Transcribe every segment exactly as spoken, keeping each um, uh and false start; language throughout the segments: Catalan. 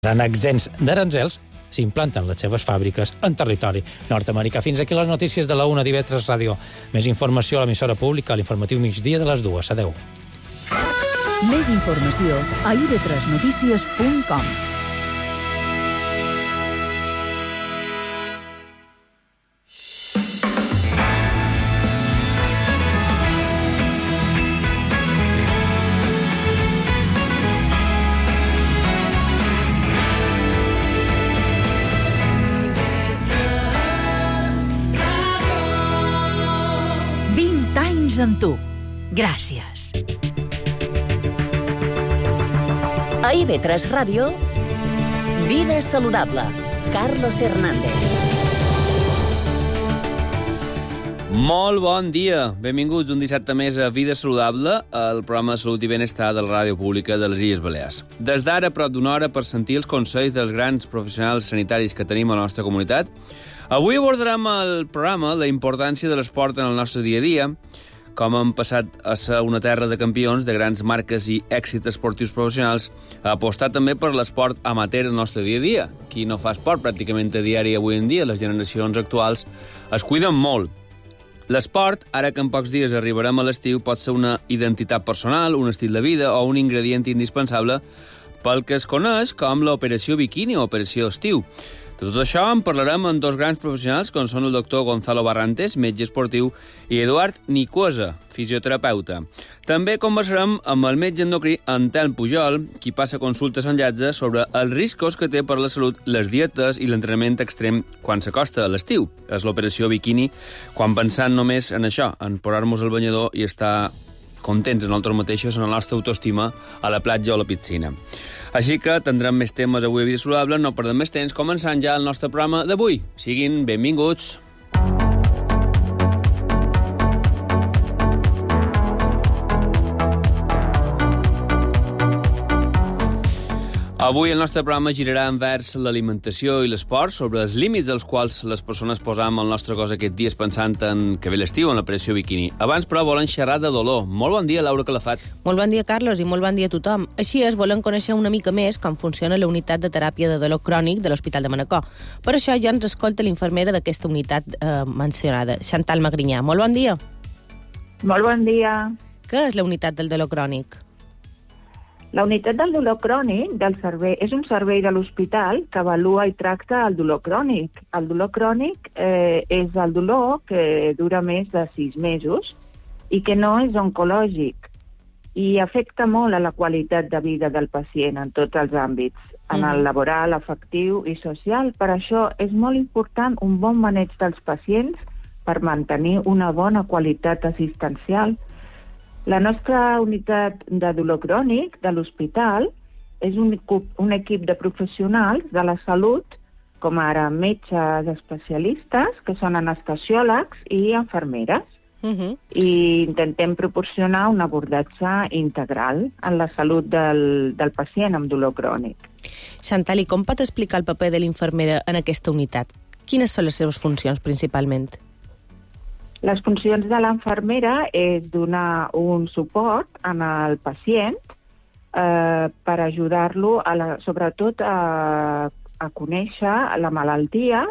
seran exempts d'aranzels si implanten les seves fàbriques en territori nord-americà. Fins aquí les notícies de la una d'I V tres Ràdio. Més informació a l'emissora pública, a l'informatiu migdia de les dues. Adéu. Més informació a i ve tres notícies punt com. Amb tu. Gràcies. A I V tres Ràdio, Vida Saludable. Carlos Hernández. Molt bon dia. Benvinguts un dissabte més a Vida Saludable, el programa de salut i benestar de la ràdio pública de les Illes Balears. Des d'ara, prop d'una hora, per sentir els consells dels grans professionals sanitaris que tenim a la nostra comunitat. Avui abordarem al programa la importància de l'esport en el nostre dia a dia, com hem passat a ser una terra de campions de grans marques i èxits esportius professionals, a apostar també per l'esport amateur en el nostre dia a dia. Qui no fa esport pràcticament a diari avui en dia, les generacions actuals, es cuiden molt. L'esport, ara que en pocs dies arribarem a l'estiu, pot ser una identitat personal, un estil de vida o un ingredient indispensable pel que es coneix com l'operació biquini o operació estiu. De tot això en parlarem amb dos grans professionals, com són el doctor Gonzalo Barrantes, metge esportiu, i Eduard Nicuesa, fisioterapeuta. També conversarem amb el metge endocrí Antelm Pujol, qui passa consultes en llatge sobre els riscos que té per la salut les dietes i l'entrenament extrem quan s'acosta a l'estiu. És l'operació biquini, quan pensant només en això, en posar-nos el banyador i estar contents en nosaltres mateixos, en la nostra autoestima, a la platja o a la piscina. Així que tindrem més temes avui a Vida Saludable, no perdem més temps, començant ja el nostre programa d'avui. Siguin benvinguts. Avui el nostre programa girarà envers l'alimentació i l'esport, sobre els límits als quals les persones posam el nostre cos aquests dies pensant en que ve l'estiu, en l'operació biquini. Abans, però, volen xerrar de dolor. Molt bon dia, Laura Calafat. Molt bon dia, Carlos, i molt bon dia a tothom. Així és, volem conèixer una mica més com funciona la unitat de teràpia de dolor crònic de l'Hospital de Manacor. Per això ja ens escolta l'infermera d'aquesta unitat eh, mencionada, Chantal Magrinyà. Molt bon dia. Molt bon dia. Què és la unitat del dolor crònic? La unitat del dolor crònic del servei és un servei de l'hospital que avalua i tracta el dolor crònic. El dolor crònic eh, és el dolor que dura més de sis mesos i que no és oncològic i afecta molt a la qualitat de vida del pacient en tots els àmbits, en el laboral, afectiu i social. Per això és molt important un bon maneig dels pacients per mantenir una bona qualitat assistencial. La nostra unitat de dolor crònic de l'hospital és un, un equip de professionals de la salut, com ara metges especialistes, que són anestesiòlegs i infermeres. Uh-huh. I intentem proporcionar un abordatge integral en la salut del, del pacient amb dolor crònic. Chantal, i com pot explicar el paper de l'infermera en aquesta unitat? Quines són les seves funcions principalment? Les funcions de l'infermera és donar un suport al pacient eh, per ajudar-lo, a la, sobretot, a, a conèixer la malaltia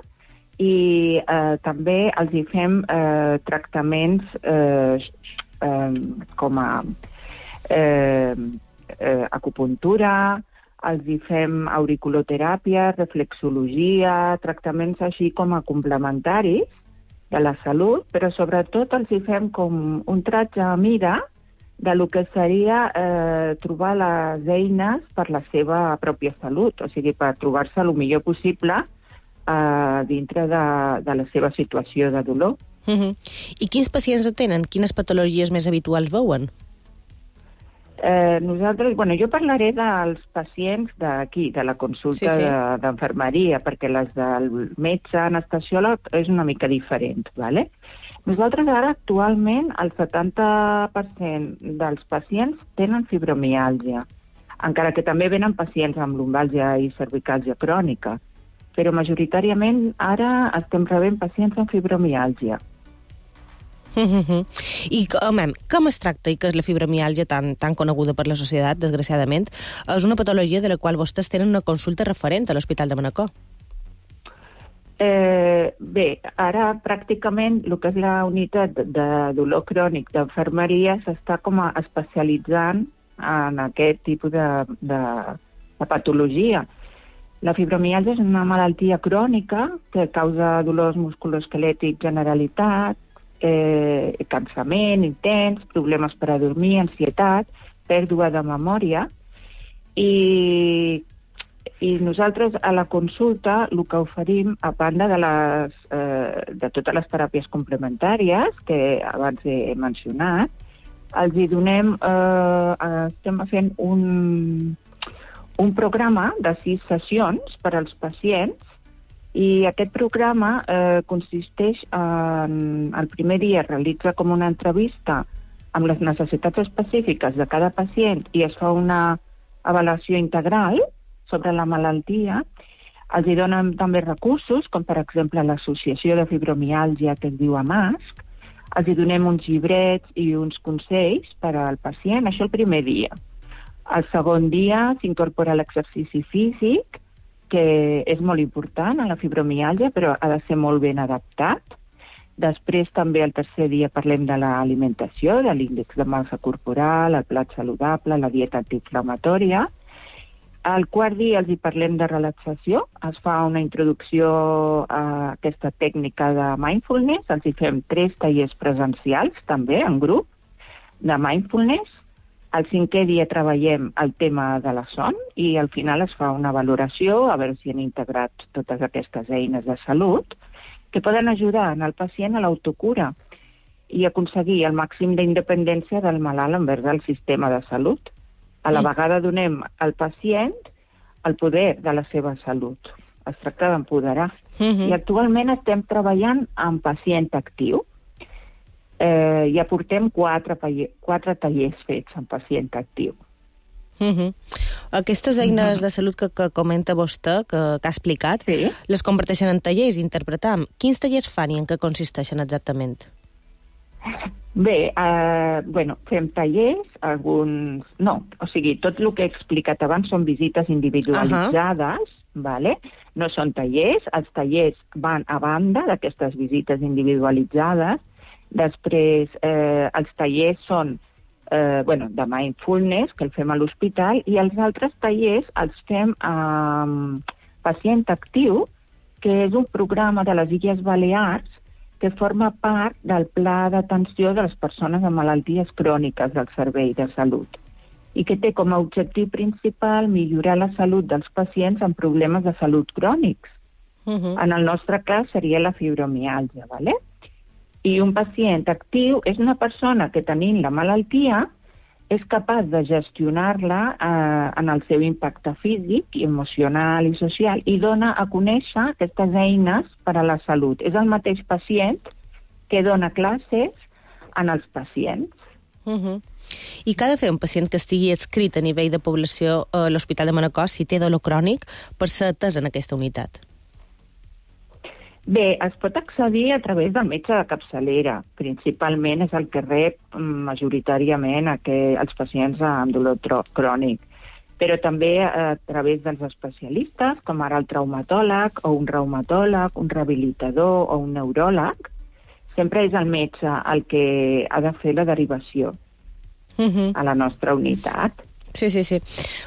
i eh, també els hi fem eh, tractaments eh, eh, com a eh, eh, acupuntura, els hi fem auriculoteràpia, reflexologia, tractaments així com a complementaris de la salut, però sobretot els hi fem com un tratge a mida de lo que seria eh, trobar les eines per la seva pròpia salut, o sigui, per trobar-se el millor possible eh, dintre de, de la seva situació de dolor. Uh-huh. I quins pacients atenen? Quines patologies més habituals veuen? Eh, nosaltres, bueno, jo parlaré dels pacients d'aquí, de la consulta sí, sí. d'enfermeria, perquè les del metge anestesiòleg és una mica diferent, ¿vale? Nosaltres ara actualment el setanta per cent dels pacients tenen fibromiàlgia, encara que també venen pacients amb lumbàlgia i cervicàlgia crònica, però majoritàriament ara estem rebent pacients amb fibromiàlgia. Mm-hmm. I home, com es tracta i què és la fibromiàlgia tan, tan coneguda per la societat, desgraciadament? És una patologia de la qual vostès tenen una consulta referent a l'Hospital de Manacor. Eh, bé, ara pràcticament el que és la unitat de dolor crònic d'enfermeria s'està com a especialitzant en aquest tipus de, de, de patologia. La fibromiàlgia és una malaltia crònica que causa dolors musculoesquelètics generalitat, Eh, cansament intens, problemes per a dormir, ansietat, pèrdua de memòria i, i nosaltres a la consulta el que oferim, a banda de, les, eh, de totes les teràpies complementàries que abans he mencionat, els hi donem, eh, estem fent un, un programa de sis sessions per als pacients. I aquest programa eh, consisteix en... El primer dia es realitza com una entrevista amb les necessitats específiques de cada pacient i es fa una avaluació integral sobre la malaltia. Els hi donen també recursos, com per exemple l'Associació de Fibromiàlgia que es diu AMASC. Els hi donem uns llibrets i uns consells per al pacient, això el primer dia. El segon dia s'incorpora l'exercici físic, que és molt important a la fibromiàlgia, però ha de ser molt ben adaptat. Després també el tercer dia parlem de l'alimentació, de l'índex de massa corporal, el plat saludable, la dieta antiinflamatòria. Al quart dia els hi parlem de relaxació, es fa una introducció a aquesta tècnica de mindfulness, els hi fem tres tallers presencials també en grup de mindfulness. Al cinquè dia treballem el tema de la son i al final es fa una valoració a veure si han integrat totes aquestes eines de salut que poden ajudar en el pacient a l'autocura i aconseguir el màxim d'independència del malalt envers el sistema de salut. A la vegada donem al pacient el poder de la seva salut. Es tracta d'empoderar. Mm-hmm. I actualment estem treballant amb pacient actiu. Eh, ja portem quatre, quatre tallers fets en pacient actiu. Uh-huh. Aquestes eines uh-huh. de salut que, que comenta vostè, que, que ha explicat, sí. Les converteixen en tallers, interpretam. Quins tallers fan i en què consisteixen exactament? Bé, eh, bueno, fem tallers, alguns... No, o sigui, tot el que he explicat abans són visites individualitzades, uh-huh. vale? No són tallers, els tallers van a banda d'aquestes visites individualitzades. Després, eh, els tallers són eh, bueno, de mindfulness, que el fem a l'hospital, i els altres tallers els fem amb eh, pacient actiu, que és un programa de les Illes Balears que forma part del pla d'atenció de les persones amb malalties cròniques del Servei de Salut i que té com a objectiu principal millorar la salut dels pacients amb problemes de salut crònics. Uh-huh. En el nostre cas seria la fibromiàlgia, ¿vale? I un pacient actiu és una persona que, tenint la malaltia, és capaç de gestionar-la eh, en el seu impacte físic, emocional i social i dona a conèixer aquestes eines per a la salut. És el mateix pacient que dona classes en els pacients. Uh-huh. I què ha de fer un pacient que estigui adscrit a nivell de població a l'Hospital de Manacor si té dolor crònic per ser atès en aquesta unitat? Bé, es pot accedir a través del metge de capçalera. Principalment és el que rep majoritàriament els pacients amb dolor crònic. Però també a través dels especialistes, com ara el traumatòleg o un reumatòleg, un rehabilitador o un neuròleg. Sempre és el metge el que ha de fer la derivació uh-huh. a la nostra unitat. Sí, sí, sí.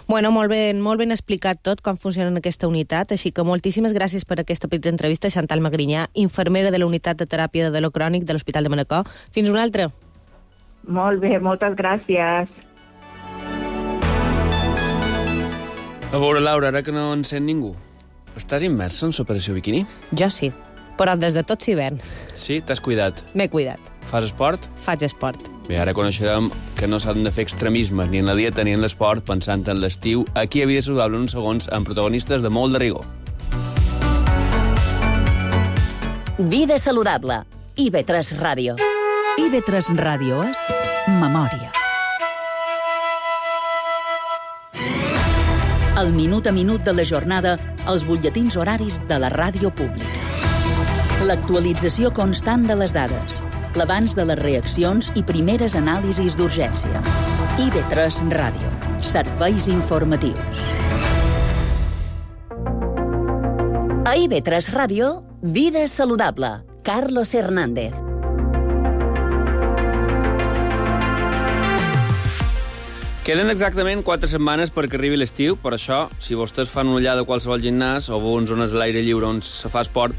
Bueno, molt ben, molt ben explicat tot com funciona en aquesta unitat, així que moltíssimes gràcies per aquesta petita entrevista, Chantal Magrinyà, infermera de la unitat de teràpia de dolor crònic de l'Hospital de Manacor. Fins una altra. Molt bé, moltes gràcies. A veure, Laura, ara que no en sent ningú, estàs immersa en l'operació biquini? Jo sí, però des de tot s'hivern. Sí? T'has cuidat? M'he cuidat. Fas esport? Faig esport. Bé, ara coneixerem que no s'han de fer extremismes ni en la dieta ni en l'esport pensant en l'estiu. Aquí a Vida Saludable en uns segons amb protagonistes de molt de rigor. Vida Saludable. I V tres Ràdio. I V tres Ràdio és memòria. El minut a minut de la jornada als butlletins horaris de la ràdio pública. L'actualització constant de les dades. l'avanç de les reaccions i primeres anàlisis d'urgència. I V tres Ràdio. Serveis informatius. A I V tres Ràdio, Vida Saludable. Carlos Hernández. Queden exactament quatre setmanes perquè arribi l'estiu, per això, si vostès fan una ullada a qualsevol gimnàs o veuen zones a l'aire lliure on se fa esport,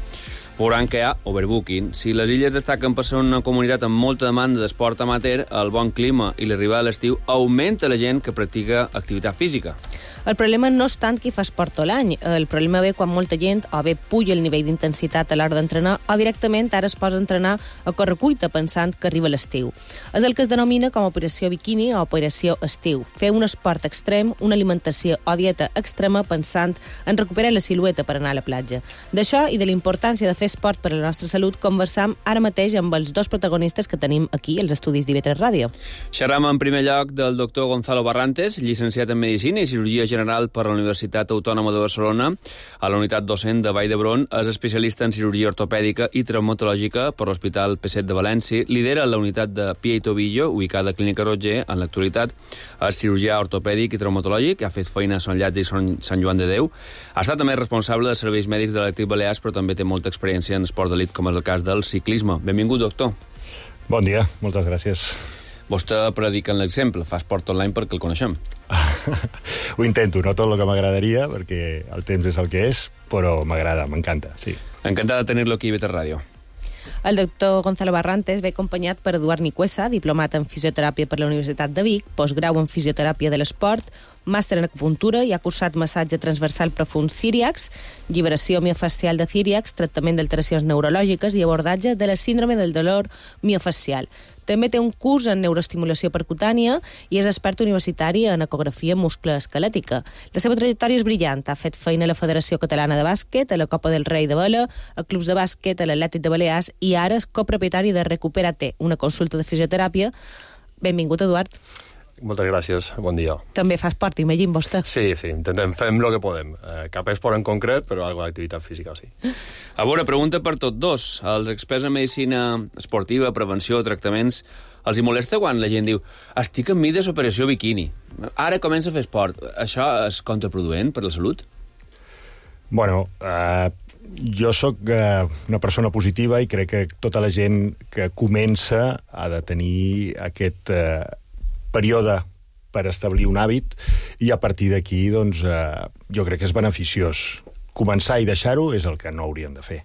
veuran que hi ha overbooking. Si les illes destaquen per ser una comunitat amb molta demanda d'esport amateur, el bon clima i l'arribada de l'estiu augmenta la gent que practica activitat física. El problema no és tant qui fa esport tot l'any. El problema ve quan molta gent o bé puja el nivell d'intensitat a l'hora d'entrenar o directament ara es posa a entrenar a correcuita pensant que arriba l'estiu. És el que es denomina com a operació biquini o operació estiu. Fer un esport extrem, una alimentació o dieta extrema pensant en recuperar la silueta per anar a la platja. D'això i de la importància de fer esport per a la nostra salut conversam ara mateix amb els dos protagonistes que tenim aquí als estudis d'I V tres Ràdio. Xerram en primer lloc del doctor Gonzalo Barrantes, llicenciat en Medicina i Cirurgia General per la Universitat Autònoma de Barcelona, a la unitat docent de Vall d'Hebron, és especialista en cirurgia ortopèdica i traumatològica per l'Hospital P set de València, lidera la unitat de Pie i Tobillo, ubicada a Clínica Roger, en l'actualitat és cirurgià ortopèdic i traumatològic, ha fet feina a Son Llàtzer i Sant Joan de Déu, ha estat també responsable de serveis mèdics de l'Elèctric Balears, però també té molta experiència en esport d'elit, com és el cas del ciclisme. Benvingut, doctor. Bon dia, moltes gràcies. Vostè predica en l'exemple, fa esport online perquè el coneixem. Ho intento, no tot el que m'agradaria, perquè el temps és el que és, però m'agrada, m'encanta, sí. Encantat de tenir-lo aquí a I V tres Ràdio. El doctor Gonzalo Barrantes ve acompanyat per Eduard Nicuesa, diplomat en fisioteràpia per la Universitat de Vic, postgrau en fisioteràpia de l'esport, màster en acupuntura i ha cursat massatge transversal profund Círiax, lliberació miofascial de Círiax, tractament d'alteracions neurològiques i abordatge de la síndrome del dolor miofascial. També té un curs en neuroestimulació percutània i és expert universitari en ecografia musculoesquelètica. La seva trajectòria és brillant. Ha fet feina a la Federació Catalana de Bàsquet, a la Copa del Rei de Vela, a clubs de bàsquet, a l'Atlètic de Balears i ara és copropietari de Recupera-T, una consulta de fisioteràpia. Benvingut, Eduard. Moltes gràcies, bon dia. També fa esport, imagino, vostè. Sí, sí, intentem fer el que podem. Eh, cap esport en concret, però alguna activitat física, sí. A veure, pregunta per tots dos. Els experts en medicina esportiva, prevenció, tractaments, els hi molesta quan la gent diu estic en mi de operació biquini, ara comença a fer esport. Això és contraproduent per la salut? Bueno, eh, jo sóc eh, una persona positiva i crec que tota la gent que comença ha de tenir aquest eh, període per establir un hàbit i a partir d'aquí doncs, eh, jo crec que és beneficiós. Començar i deixar-ho és el que no hauríem de fer.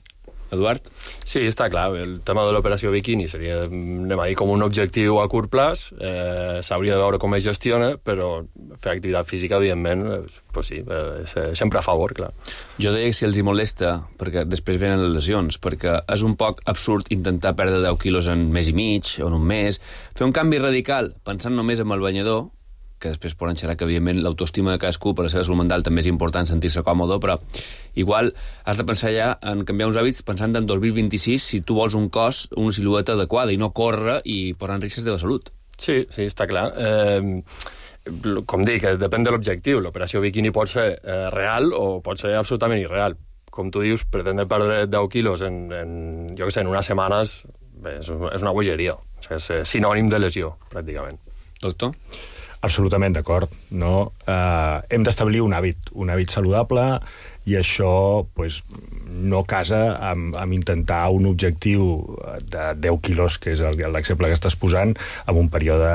Eduard? Sí, està clar. El tema de l'operació biquini seria, anem a dir, com un objectiu a curt plaç. Eh, S'hauria de veure com es gestiona, però fer activitat física, evidentment, pues sí, eh, sempre a favor, clar. Jo deia que si els hi molesta, perquè després venen les lesions, perquè és un poc absurd intentar perdre deu quilos en mes i mig o en un mes, fer un canvi radical pensant només en el banyador, que després poden xerrar que, evidentment, l'autoestima de cadascú per la seva salut mental també és important sentir-se còmode, però igual has de pensar ja en canviar uns hàbits pensant en dos mil vint-i-sis si tu vols un cos, una silueta adequada i no córrer i posar en risc la teva salut. Sí, sí, està clar. Eh, com dic, depèn de l'objectiu. L'operació biquini pot ser eh, real o pot ser absolutament irreal. Com tu dius, pretendre perdre deu quilos en, en jo què sé, en unes setmanes, bé, és, és una bogeria. O sigui, és sinònim de lesió, pràcticament. Doctor? Absolutament d'acord. No? Eh, hem d'establir un hàbit, un hàbit saludable, i això pues, no casa amb, amb intentar un objectiu de deu quilos, que és l'exemple que estàs posant, en un període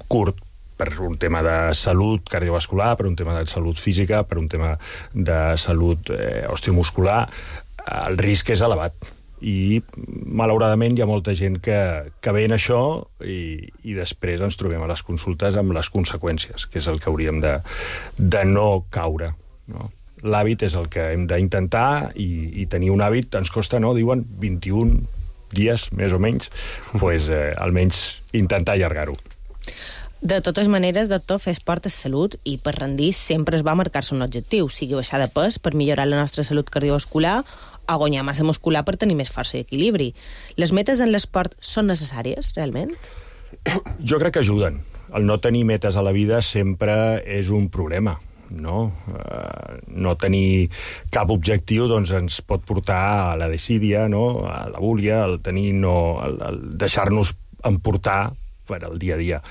curt, per un tema de salut cardiovascular, per un tema de salut física, per un tema de salut eh, osteomuscular. El risc és elevat. I, malauradament, hi ha molta gent que, que ve en això i, i després ens trobem a les consultes amb les conseqüències, que és el que hauríem de, de no caure. No? L'hàbit és el que hem d'intentar i, i tenir un hàbit ens costa, no? Diuen vint-i-un dies, més o menys, pues, eh, almenys intentar allargar-ho. De totes maneres, doctor, fer esport és salut i per rendir sempre es va marcar-se un objectiu, sigui baixar de pes per millorar la nostra salut cardiovascular o guanyar massa muscular per tenir més força i equilibri. Les metes en l'esport són necessàries, realment? Jo crec que ajuden. El no tenir metes a la vida sempre és un problema. no? Uh, no tenir cap objectiu doncs, ens pot portar a la desídia, no? A la búlia, el tenir no, el, el deixar-nos emportar per al dia a dia.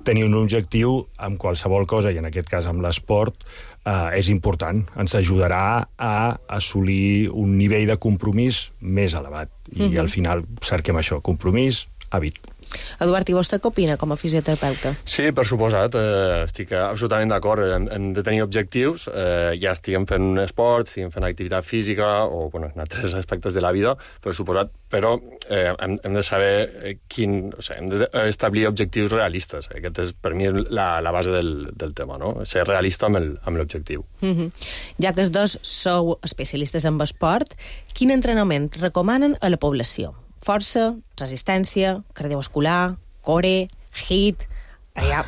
Tenir un objectiu amb qualsevol cosa, i en aquest cas amb l'esport, uh, és important. Ens ajudarà a assolir un nivell de compromís més elevat. I mm-hmm. al final cerquem això, compromís, hàbit. Eduard, i vostè què opina com a fisioterapeuta? Sí, per suposat, eh, estic absolutament d'acord. Hem, hem de tenir objectius, eh, ja estiguem fent un esport, estiguem fent activitat física o bueno, en altres aspectes de la vida, per suposat, però eh, hem, hem de saber quin... O sigui, hem d'establir objectius realistes. Aquest és, per mi, la, la base del, del tema, no? Ser realista amb l'objectiu. Mm-hmm. Ja que els dos sou especialistes en esport, quin entrenament recomanen a la població? Força, resistència, cardiovascular, core, hit... Hi ha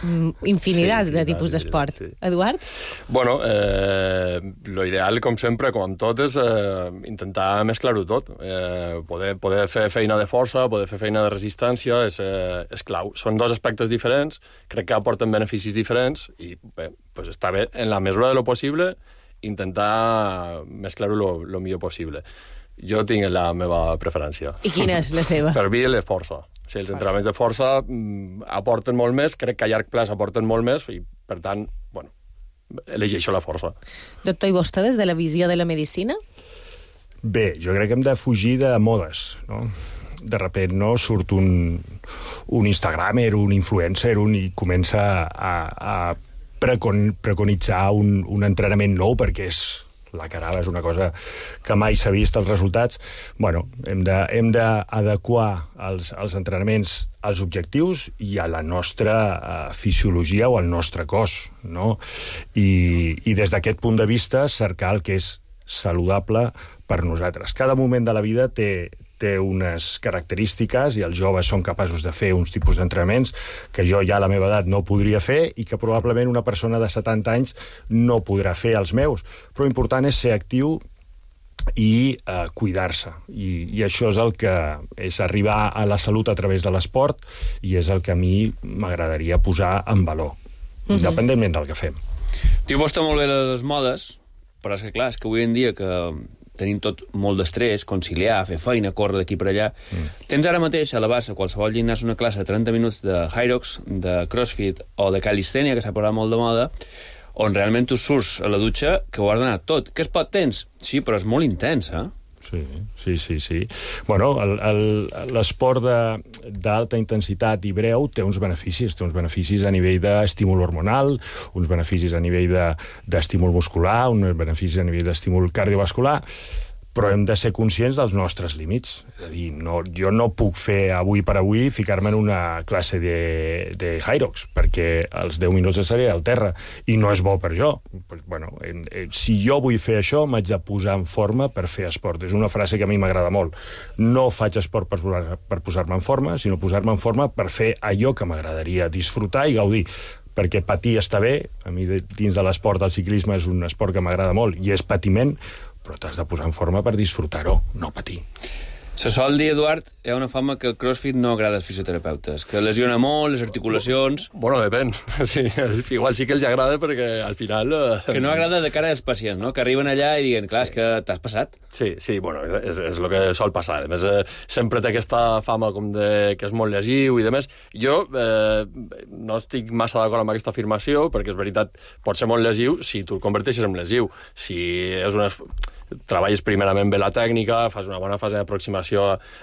infinitat sí, de tipus d'esport. Sí. Eduard? Bueno, eh, lo ideal, com sempre, com amb tot, és eh, intentar mesclar-ho tot. Eh, poder, poder fer feina de força, poder fer feina de resistència, és, eh, és clau. Són dos aspectes diferents, crec que aporten beneficis diferents, i bé, pues està bé, en la mesura de lo possible, intentar mesclar-ho lo, lo millor possible. Jo tinc la meva preferència. I quina és la seva? Per mi, la força. O sigui, els entrenaments de força mm, aporten molt més, crec que a llarg plaç aporten molt més, i, per tant, bueno, elegeixo la força. Doctor, i vostè, des de la visió de la medicina? Bé, jo crec que hem de fugir de modes, no? De repent, no?, surt un, un Instagramer, un influencer, un, i comença a, a precon, preconitzar un, un entrenament nou perquè és... la carava és una cosa que mai s'ha vist els resultats. Bueno, hem de, hem d'adequar els, els entrenaments als objectius i a la nostra uh, fisiologia o al nostre cos, no? I, i des d'aquest punt de vista cercar el que és saludable per nosaltres. Cada moment de la vida té, té unes característiques i els joves són capaços de fer uns tipus d'entrenaments que jo ja a la meva edat no podria fer i que probablement una persona de setanta anys no podrà fer els meus. Però l'important és ser actiu i eh, cuidar-se. I, I això és el que és arribar a la salut a través de l'esport i és el que a mi m'agradaria posar en valor, mm-hmm. independentment del que fem. Diu vostè molt bé les modes, però és que clar, és que avui en dia que tenim tot molt d'estrès, conciliar, fer feina, córrer d'aquí per allà. Mm. Tens ara mateix a la bassa, qualsevol gimnàs, una classe de trenta minuts de Hyrox, de CrossFit o de calistènia, que s'ha posat molt de moda, on realment tu surts a la dutxa que ho has donat tot. Que esport tens? Sí, però és molt intens, eh? Sí, sí, sí, sí. Bueno, l'esport d'alta intensitat i breu té uns beneficis, té uns beneficis a nivell d'estímul hormonal, uns beneficis a nivell d'estímul muscular, uns beneficis a nivell d'estímul cardiovascular, però hem de ser conscients dels nostres límits. És a dir, no, jo no puc fer avui per avui ficar-me en una classe de, de Hyrox, perquè als deu minuts estaré al terra, i no és bo per jo. Pues, bueno, en, en, si jo vull fer això, m'haig de posar en forma per fer esport. És una frase que a mi m'agrada molt. No faig esport per, per posar-me en forma, sinó posar-me en forma per fer allò que m'agradaria disfrutar i gaudir. Perquè patir està bé, a mi dins de l'esport, el ciclisme és un esport que m'agrada molt, i és patiment, però t'has de posar en forma per disfrutar-ho, no patir. Se sol dir, Eduard, hi ha una fama que el CrossFit no agrada als fisioterapeutes, que lesiona molt les articulacions... Bueno, depèn. Sí, igual sí que els agrada perquè al final... Eh... Que no agrada de cara als pacients, no? Que arriben allà i diguen, clar, sí. És que t'has passat. Sí, sí, bueno, és, és el que sol passar. A més, eh, sempre té aquesta fama com de que és molt lesiu i demés. Jo eh, no estic massa d'acord amb aquesta afirmació, perquè és veritat, pot ser molt lesiu si tu el converteixes en lesiu. Si és una... treballes primerament bé la tècnica, fas una bona fase d'aproximació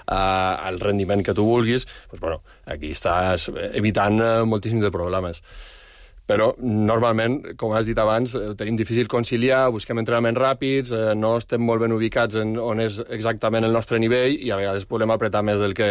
al rendiment que tu vulguis, doncs, bueno, aquí estàs evitant moltíssims de problemes. Però, normalment, com has dit abans, tenim difícil conciliar, busquem entrenaments ràpids, eh, no estem molt ben ubicats en on és exactament el nostre nivell i a vegades podem apretar més del que...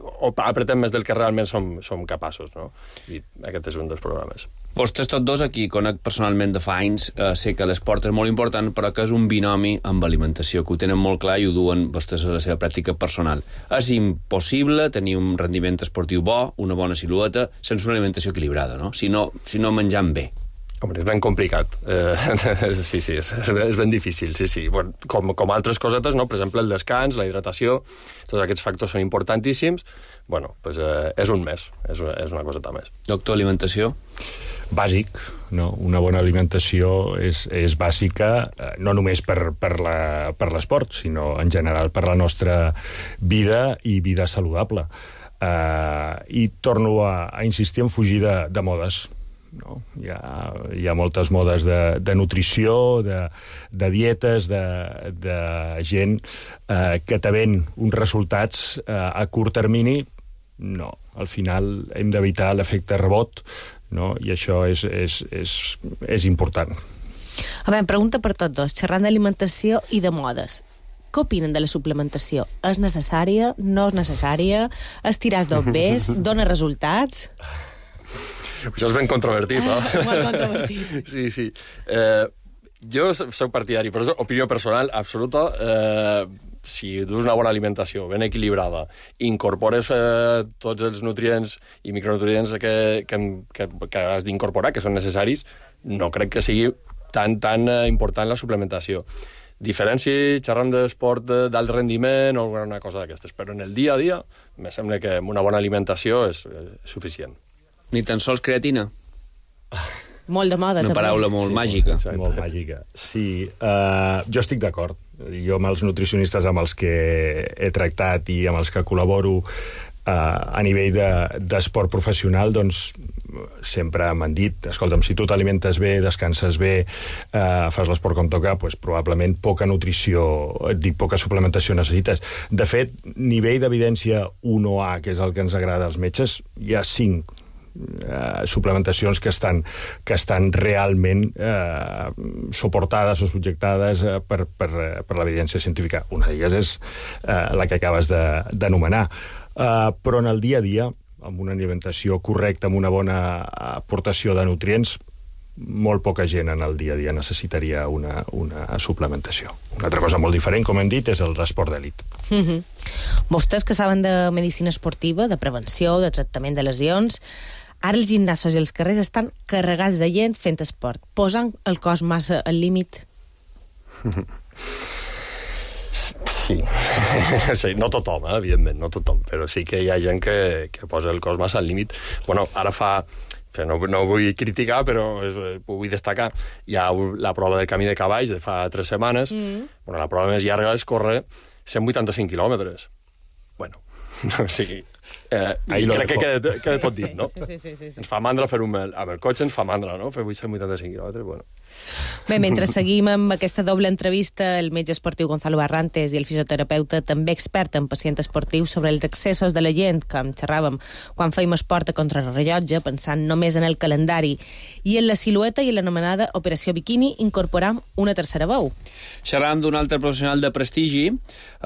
o apretem més del que realment som, som capaços, no? I aquest és un dels problemes. Vostès tots dos aquí, conec personalment de fa anys, eh, sé que l'esport és molt important, però que és un binomi amb alimentació, que ho tenen molt clar i ho duen vostès a la seva pràctica personal. És impossible tenir un rendiment esportiu bo, una bona silueta, sense una alimentació equilibrada, no? Si no, si no menjant bé. Home, és ben complicat. Eh, sí, sí, és, és ben difícil, sí, sí. Bueno, com, com altres cosetes, no? Per exemple, el descans, la hidratació, tots aquests factors són importantíssims. Bueno, pues, eh, és un més, és, és una coseta més. Doctor, alimentació? bàsic, no? Una bona alimentació és, és bàsica, no només per, per, la, per l'esport, sinó en general per la nostra vida i vida saludable. Uh, I torno a, a insistir en fugir de, de modes. No? Hi ha, hi ha moltes modes de, de nutrició, de, de dietes, de, de gent uh, que te ven uns resultats uh, a curt termini. No, al final hem d'evitar l'efecte rebot, no? I això és, és, és, és important. A veure, pregunta per tots dos, xerrant d'alimentació i de modes. Què opinen de la suplementació? És necessària? No és necessària? Estiràs dos bes? Dóna resultats? Això és ben controvertit, no? Ah, molt controvertit. Sí, sí. Eh, jo soc partidari, però és opinió personal absoluta. Eh, si dus una bona alimentació, ben equilibrada, incorpores eh, tots els nutrients i micronutrients que, que, que, que has d'incorporar, que són necessaris, no crec que sigui tan, tan eh, important la suplementació. Diferència, xerram d'esport d'alt rendiment o alguna cosa d'aquestes, però en el dia a dia me sembla que una bona alimentació és, és suficient. Ni tan sols creatina? Molt de moda, Una també. paraula molt sí, màgica. Molt, molt màgica. Sí, uh, jo estic d'acord. Jo amb els nutricionistes amb els que he tractat i amb els que col·laboro uh, a nivell de, d'esport professional, doncs sempre m'han dit, escolta'm, si tu t'alimentes bé, descanses bé, eh, fas l'esport com toca, doncs probablement poca nutrició, et dic, poca suplementació necessites. De fet, nivell d'evidència un A, que és el que ens agrada als metges, hi ha cinc eh, suplementacions que estan, que estan realment eh, suportades o subjectades eh, per, per, per l'evidència científica. Una d'elles és eh, la que acabes de, d'anomenar. Eh, però en el dia a dia, amb una alimentació correcta, amb una bona aportació de nutrients, molt poca gent en el dia a dia necessitaria una, una suplementació. Una altra cosa molt diferent, com hem dit, és l'esport d'elit. Mm-hmm. Vostès que saben de medicina esportiva, de prevenció, de tractament de lesions, ara els gimnasos i els carrers estan carregats de gent fent esport, posant el cos massa al límit. Sí. Sí, no tothom, eh, evidentment, no tothom, però sí que hi ha gent que, que posa el cos massa al límit. Bueno, ara fa... No, no vull criticar, però és, ho vull destacar. Hi ha la prova del camí de cavalls de fa tres setmanes. Mm. Bueno, la prova més llarga és córrer cent vuitanta-cinc quilòmetres. Bueno, o sigui... Eh, crec que queda, queda tot dit, no? Sí, sí, sí, sí, sí. Ens fa mandra fer un... Amb el cotxe ens fa mandra, no? Fer cent vuitanta-cinc quilòmetres, bueno. Bé, mentre seguim amb aquesta doble entrevista, el metge esportiu Gonzalo Barrantes i el fisioterapeuta, també expert en pacient esportiu, sobre els excessos de la gent, que en xerràvem quan fèiem esport a contrarrellotge, pensant només en el calendari, i en la silueta i en l'anomenada operació biquini, incorporant una tercera veu. Xerram d'un altre professional de prestigi,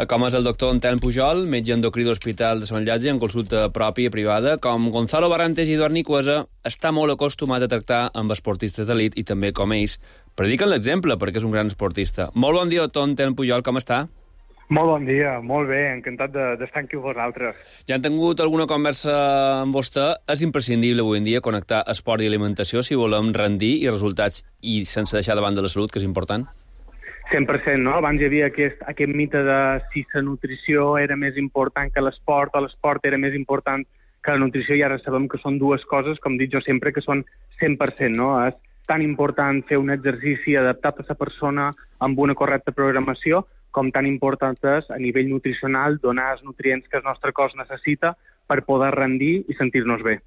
com és el doctor Antelm Pujol, metge endocrí de l'Hospital de Sant Llàtzer, en consulta pròpia i privada. Com Gonzalo Barrantes i Eduard Nicuesa, està molt acostumat a tractar amb esportistes d'elit i també com ells prediquen l'exemple, perquè és un gran esportista. Molt bon dia, doctor Antelm Pujol, com està? Molt bon dia, molt bé, encantat de, d'estar aquí amb vosaltres. Ja han tingut alguna conversa amb vostè. És imprescindible avui en dia connectar esport i alimentació si volem rendir i resultats i sense deixar de banda la salut, que és important? cent per cent, no? Abans hi havia aquest, aquest mite de si la nutrició era més important que l'esport o l'esport era més important que la nutrició, i ara sabem que són dues coses, com dic jo sempre, que són cent per cent, no? És tan important fer un exercici adaptat a la persona amb una correcta programació, com tan important és a nivell nutricional donar els nutrients que el nostre cos necessita per poder rendir i sentir-nos bé.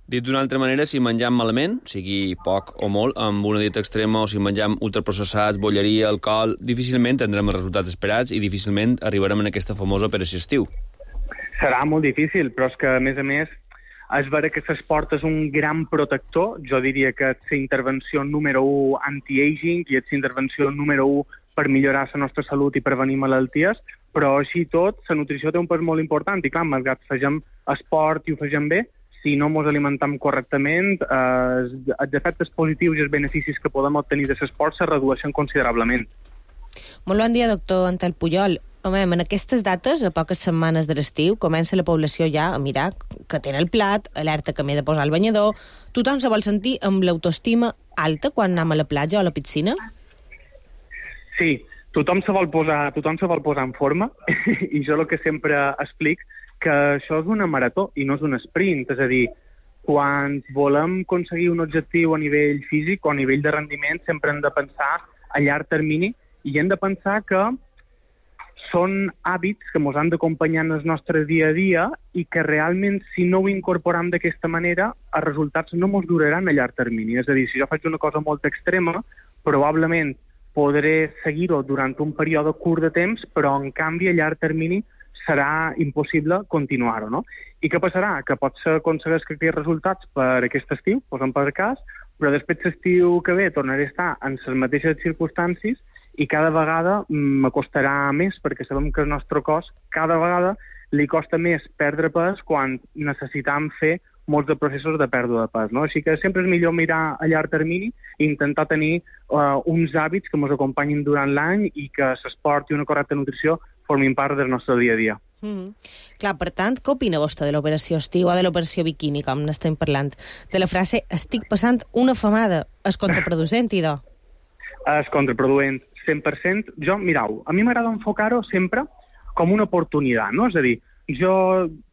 Dit d'una altra manera, si mengem malament, sigui poc o molt, amb una dieta extrema, o si mengem ultraprocessats, bolleria, alcohol, difícilment tindrem els resultats esperats i difícilment arribarem en aquesta famosa operació estiu. Serà molt difícil, però és que, a més a més, és vera que l'esport és un gran protector. Jo diria que és la intervenció número u anti-aging i és la intervenció número u per millorar la nostra salut i prevenir malalties, però així tot, la nutrició té un pes molt important i clar, malgrat fegem esport i ho fegem bé, si no ens alimentem correctament, eh, els efectes positius i els beneficis que podem obtenir de l'esport se redueixen considerablement. Molt bon dia, doctor Antelm Pujol. Home, en aquestes dates, a poques setmanes de l'estiu, comença la població ja a mirar que té el plat, alerta que m'he de posar el banyador. Tothom se vol sentir amb l'autoestima alta quan anem a la platja o a la piscina? Sí, tothom se vol posar, tothom se vol posar en forma i jo el que sempre explic que això és una marató i no és un sprint, és a dir, quan volem aconseguir un objectiu a nivell físic o a nivell de rendiment, sempre hem de pensar a llarg termini i hem de pensar que són hàbits que ens han d'acompanyar en el nostre dia a dia i que realment, si no ho incorporem d'aquesta manera, els resultats no ens duraran a llarg termini. És a dir, si jo faig una cosa molt extrema, probablement podré seguir-ho durant un període curt de temps, però en canvi a llarg termini serà impossible continuar-ho, no? I què passarà? Que potser aconsegueix aquests resultats per aquest estiu, posem per cas, però després l'estiu que ve tornaré a estar en les mateixes circumstàncies i cada vegada m'acostarà més, perquè sabem que el nostre cos cada vegada li costa més perdre pes quan necessitam fer molts de processos de pèrdua de pes, no? Així que sempre és millor mirar a llarg termini i intentar tenir uh, uns hàbits que ens acompanyin durant l'any i que l'esport i una correcta nutrició formin part del nostre dia a dia. Mm-hmm. Clar, per tant, què opina vostè de l'operació estiu o de l'operació biquini, com n'estem parlant? De la frase, estic passant una famada, és contraproducent, idò? És contraproduent, cent per cent. Jo, mirau, a mi m'agrada enfocar-ho sempre com una oportunitat, no? És a dir, jo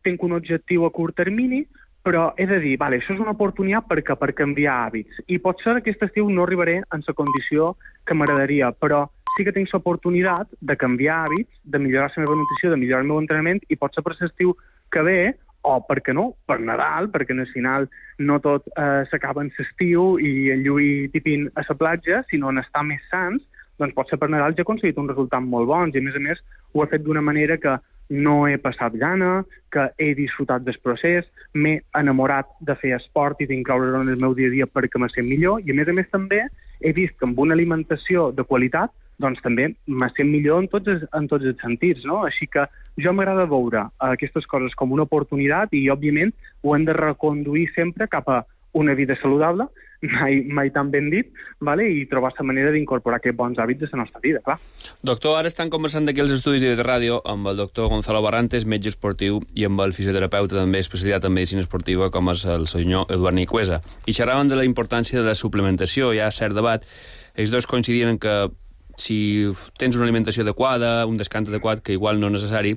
tinc un objectiu a curt termini, però he de dir, vale, això és una oportunitat perquè per canviar hàbits. I potser aquest estiu no arribaré en la condició que m'agradaria, però sí que tinc l'oportunitat de canviar hàbits, de millorar la meva nutrició, de millorar el meu entrenament, i potser per l'estiu que ve, o per què no, per Nadal, perquè al final no tot eh, s'acaba en l'estiu i el lluir tipin a la platja, sinó en estar més sants, doncs potser per Nadal ja he aconseguit un resultat molt bons, i a més a més ho he fet d'una manera que no he passat gana, que he disfrutat del procés, m'he enamorat de fer esport i d'incloure-ho en el meu dia a dia perquè me sent millor, i a més a més també he vist que amb una alimentació de qualitat doncs també me sent millor en tots, els, en tots els sentits, no? Així que jo m'agrada veure aquestes coses com una oportunitat i, òbviament, ho hem de reconduir sempre cap a una vida saludable, mai, mai tan ben dit, vale? I trobar la manera d'incorporar aquests bons hàbits a la nostra vida, clar. Doctor, ara estan conversant d'aquí els estudis de ràdio amb el doctor Gonzalo Barrantes, metge esportiu, i amb el fisioterapeuta també especialitzat en medicina esportiva, com és el senyor Eduard Nicuesa. I xerraven de la importància de la suplementació. Hi ha cert debat. Ells dos coincidien en que si tens una alimentació adequada, un descans adequat, que igual no és necessari,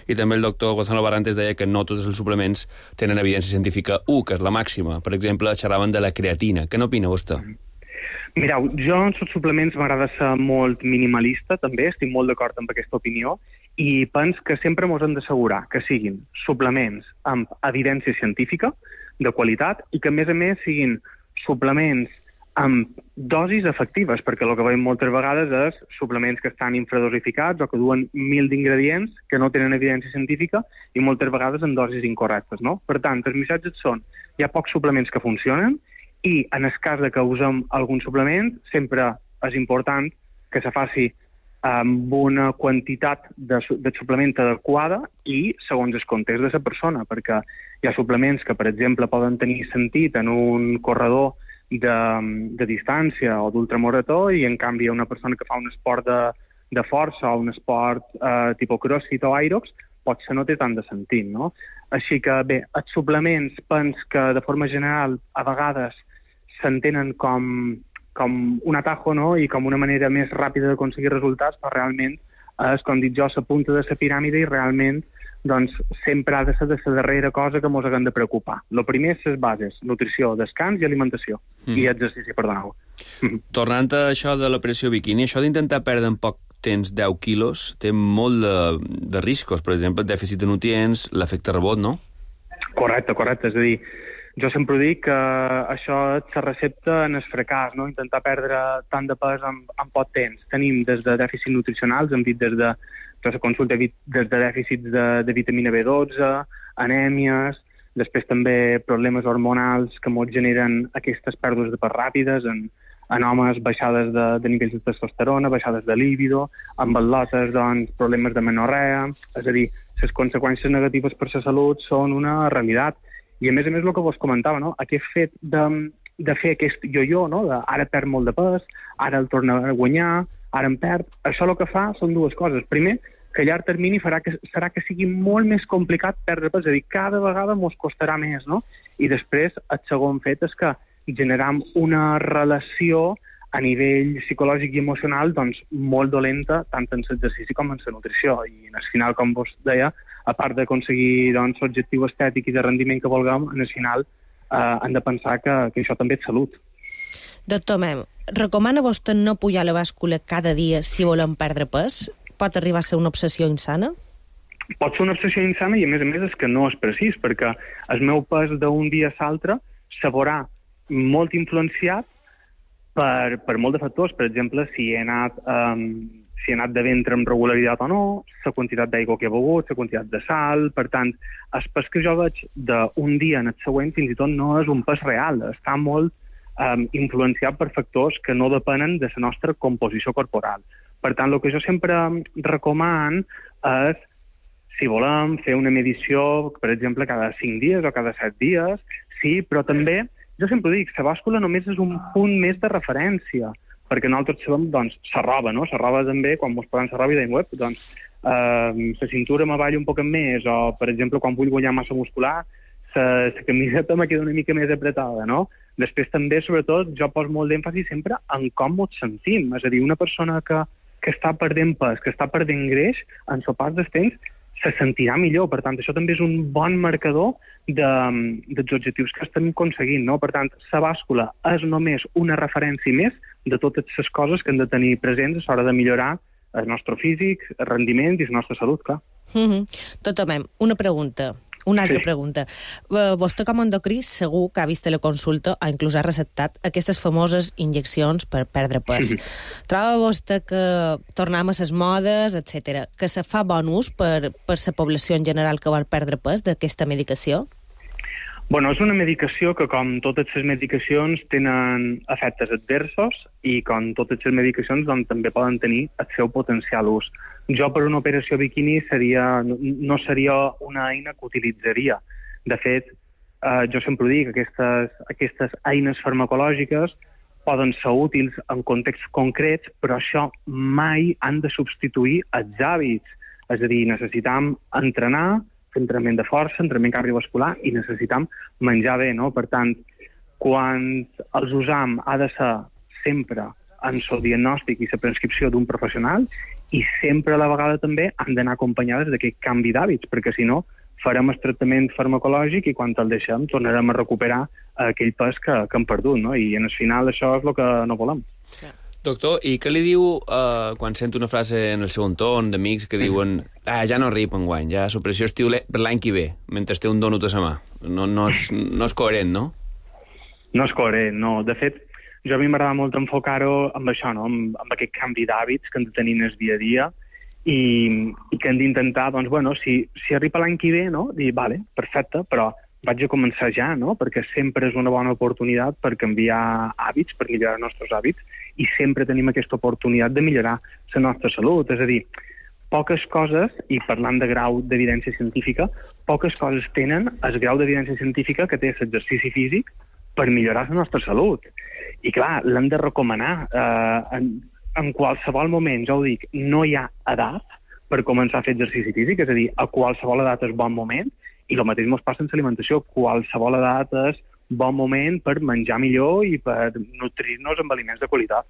i també el doctor Gonzalo Barrantes deia que no tots els suplements tenen evidència científica u, que és la màxima. Per exemple, xerraven de la creatina. Què n'opina vostè? Mireu, jo en els suplements m'agrada ser molt minimalista, també, estic molt d'acord amb aquesta opinió, i penso que sempre ens hem d'assegurar que siguin suplements amb evidència científica, de qualitat, i que a més a més siguin suplements amb dosis efectives, perquè el que veiem moltes vegades és suplements que estan infradosificats o que duen mil d'ingredients que no tenen evidència científica i moltes vegades en dosis incorrectes, no? Per tant, els missatges són hi ha pocs suplements que funcionen i en el cas de que usem algun suplement sempre és important que se faci amb una quantitat de, de suplement adequada i segons el context de la persona, perquè hi ha suplements que, per exemple, poden tenir sentit en un corredor De, de distància o d'ultramarató i en canvi una persona que fa un esport de, de força o un esport eh, tipus crossfit o aerox potser no té tant de sentit, no? Així que bé, els suplements pens que de forma general a vegades s'entenen com, com un atajo, no? I com una manera més ràpida d'aconseguir resultats, però realment és, com dic jo, la punta de la piràmide i realment doncs sempre ha de ser de la darrera cosa que ens haguem de preocupar. El primer és les bases, nutrició, descans i alimentació, mm. i exercici, perdoneu. Tornant a això de l'operació biquini, això d'intentar perdre en poc temps deu quilos té molt de, de riscos, per exemple, el dèficit de nutrients, l'efecte rebot, no? Correcte, correcte, és a dir, jo sempre dic que això és la recepta en el fracàs, no? Intentar perdre tant de pes en, en poc temps. Tenim des de dèficits nutricionals, hem dit des de la consulta des de dèficits de, de vitamina B dotze, anèmies, després també problemes hormonals que ens generen aquestes pèrdues de pes ràpides, en, en homes baixades de, de nivells de testosterona, baixades de líbido, en atletes, doncs, problemes de menorrea, és a dir, les conseqüències negatives per la salut són una realitat. I a més a més el que vos comentava, no? Aquest fet de, de fer aquest yo-yo, no? De, ara perd molt de pes, ara el torna a guanyar, ara em perd, això el que fa són dues coses. Primer, que a llarg termini farà que, serà que sigui molt més complicat perdre pes, és a dir, cada vegada ens costarà més, no? I després, el segon fet és que generam una relació a nivell psicològic i emocional doncs, molt dolenta, tant en l'exercici com en la nutrició. I al final, com vos deia, a part d'aconseguir doncs, l'objectiu estètic i de rendiment que vulguem, en el final uh, han de pensar que, que això també és salut. Doctor Mem, recomana vostè no pujar la bàscula cada dia si volem perdre pes? Pot arribar a ser una obsessió insana? Pot ser una obsessió insana i, a més a més, és que no és precís, perquè el meu pes d'un dia a l'altre se veurà molt influenciat per, per molt de factors. Per exemple, si he anat, um, si he anat de ventre amb regularitat o no, la quantitat d'aigua que he begut, la quantitat de sal... Per tant, el pes que jo veig d'un dia en el següent fins i tot no és un pes real, està molt um, influenciat per factors que no depenen de la nostra composició corporal. Per tant, el que jo sempre recomano és, si volem, fer una medició, per exemple, cada cinc dies o cada set dies, sí, però també, jo sempre dic, la bàscula només és un punt més de referència, perquè nosaltres sabem, doncs, la roba, no? La roba també, quan mos posem la roba i dèiem, web, doncs, eh, la cintura m'avalla un poc més, o, per exemple, quan vull guanyar massa muscular, la camiseta me queda una mica més apretada, no? Després també, sobretot, jo poso molt d'èmfasi sempre en com ens sentim. És a dir, una persona que, que està perdent pes, que està perdent greix, en el pas dels temps, se sentirà millor. Per tant, això també és un bon marcador de, dels objectius que estem aconseguint, no? Per tant, la bàscula és només una referència més de totes les coses que hem de tenir presents a l'hora de millorar el nostre físic, el rendiment i la nostra salut, clar. Mm-hmm. Doctor Mem, una pregunta. Una altra Sí. pregunta. Uh, vostè, com a endocrí, segur que ha vist la consulta o inclús ha receptat aquestes famoses injeccions per perdre pes. Mhm. Troba vostè que tornem a les modes, etcètera, que se fa bon ús per, per la població en general que vol perdre pes d'aquesta medicació? Bueno, és una medicació que, com totes les medicacions, tenen efectes adversos i, com totes les medicacions, doncs, també poden tenir el seu potencial ús. Jo, per una operació biquini, seria, no seria una eina que utilitzaria. De fet, eh, jo sempre dic que aquestes, aquestes eines farmacològiques poden ser útils en contexts concrets, però això mai han de substituir els hàbits. És a dir, necessitam entrenar, fer entrenament de força, entrenament cardiovascular, i necessitam menjar bé, no? Per tant, quan els usam ha de ser sempre en el diagnòstic i la prescripció d'un professional, i sempre a la vegada també han d'anar acompanyades d'aquest canvi d'hàbits, perquè si no farem el tractament farmacològic i quan el deixem tornarem a recuperar aquell pes que, que hem perdut, no? I en el final això és el que no volem. Doctor, i què li diu uh, quan sento una frase en el seu entorn d'amics que diuen ah, ja no rip enguany, ja supressió estiu per l'any que ve, mentre té un donut a la mà? No, no, és, no és coherent, no? No és coherent, no. De fet, jo a mi m'agrada molt enfocar-ho amb això, no? amb, amb aquest canvi d'hàbits que hem de tenir en el dia a dia i, i que hem d'intentar, doncs, bueno, si, si arriba l'any que ve, no? Dir, vale, perfecte, però vaig a començar ja, no? Perquè sempre és una bona oportunitat per canviar hàbits, per millorar els nostres hàbits, i sempre tenim aquesta oportunitat de millorar la nostra salut. És a dir, poques coses, i parlant de grau d'evidència científica, poques coses tenen el grau d'evidència científica que té l'exercici físic per millorar la nostra salut. I clar, l'hem de recomanar. Eh, en, en qualsevol moment, jo ho dic, no hi ha edat per començar a fer exercici físic, és a dir, a qualsevol edat és bon moment, i el mateix ens passa en l'alimentació. Qualsevol edat és bon moment per menjar millor i per nutrir-nos amb aliments de qualitat.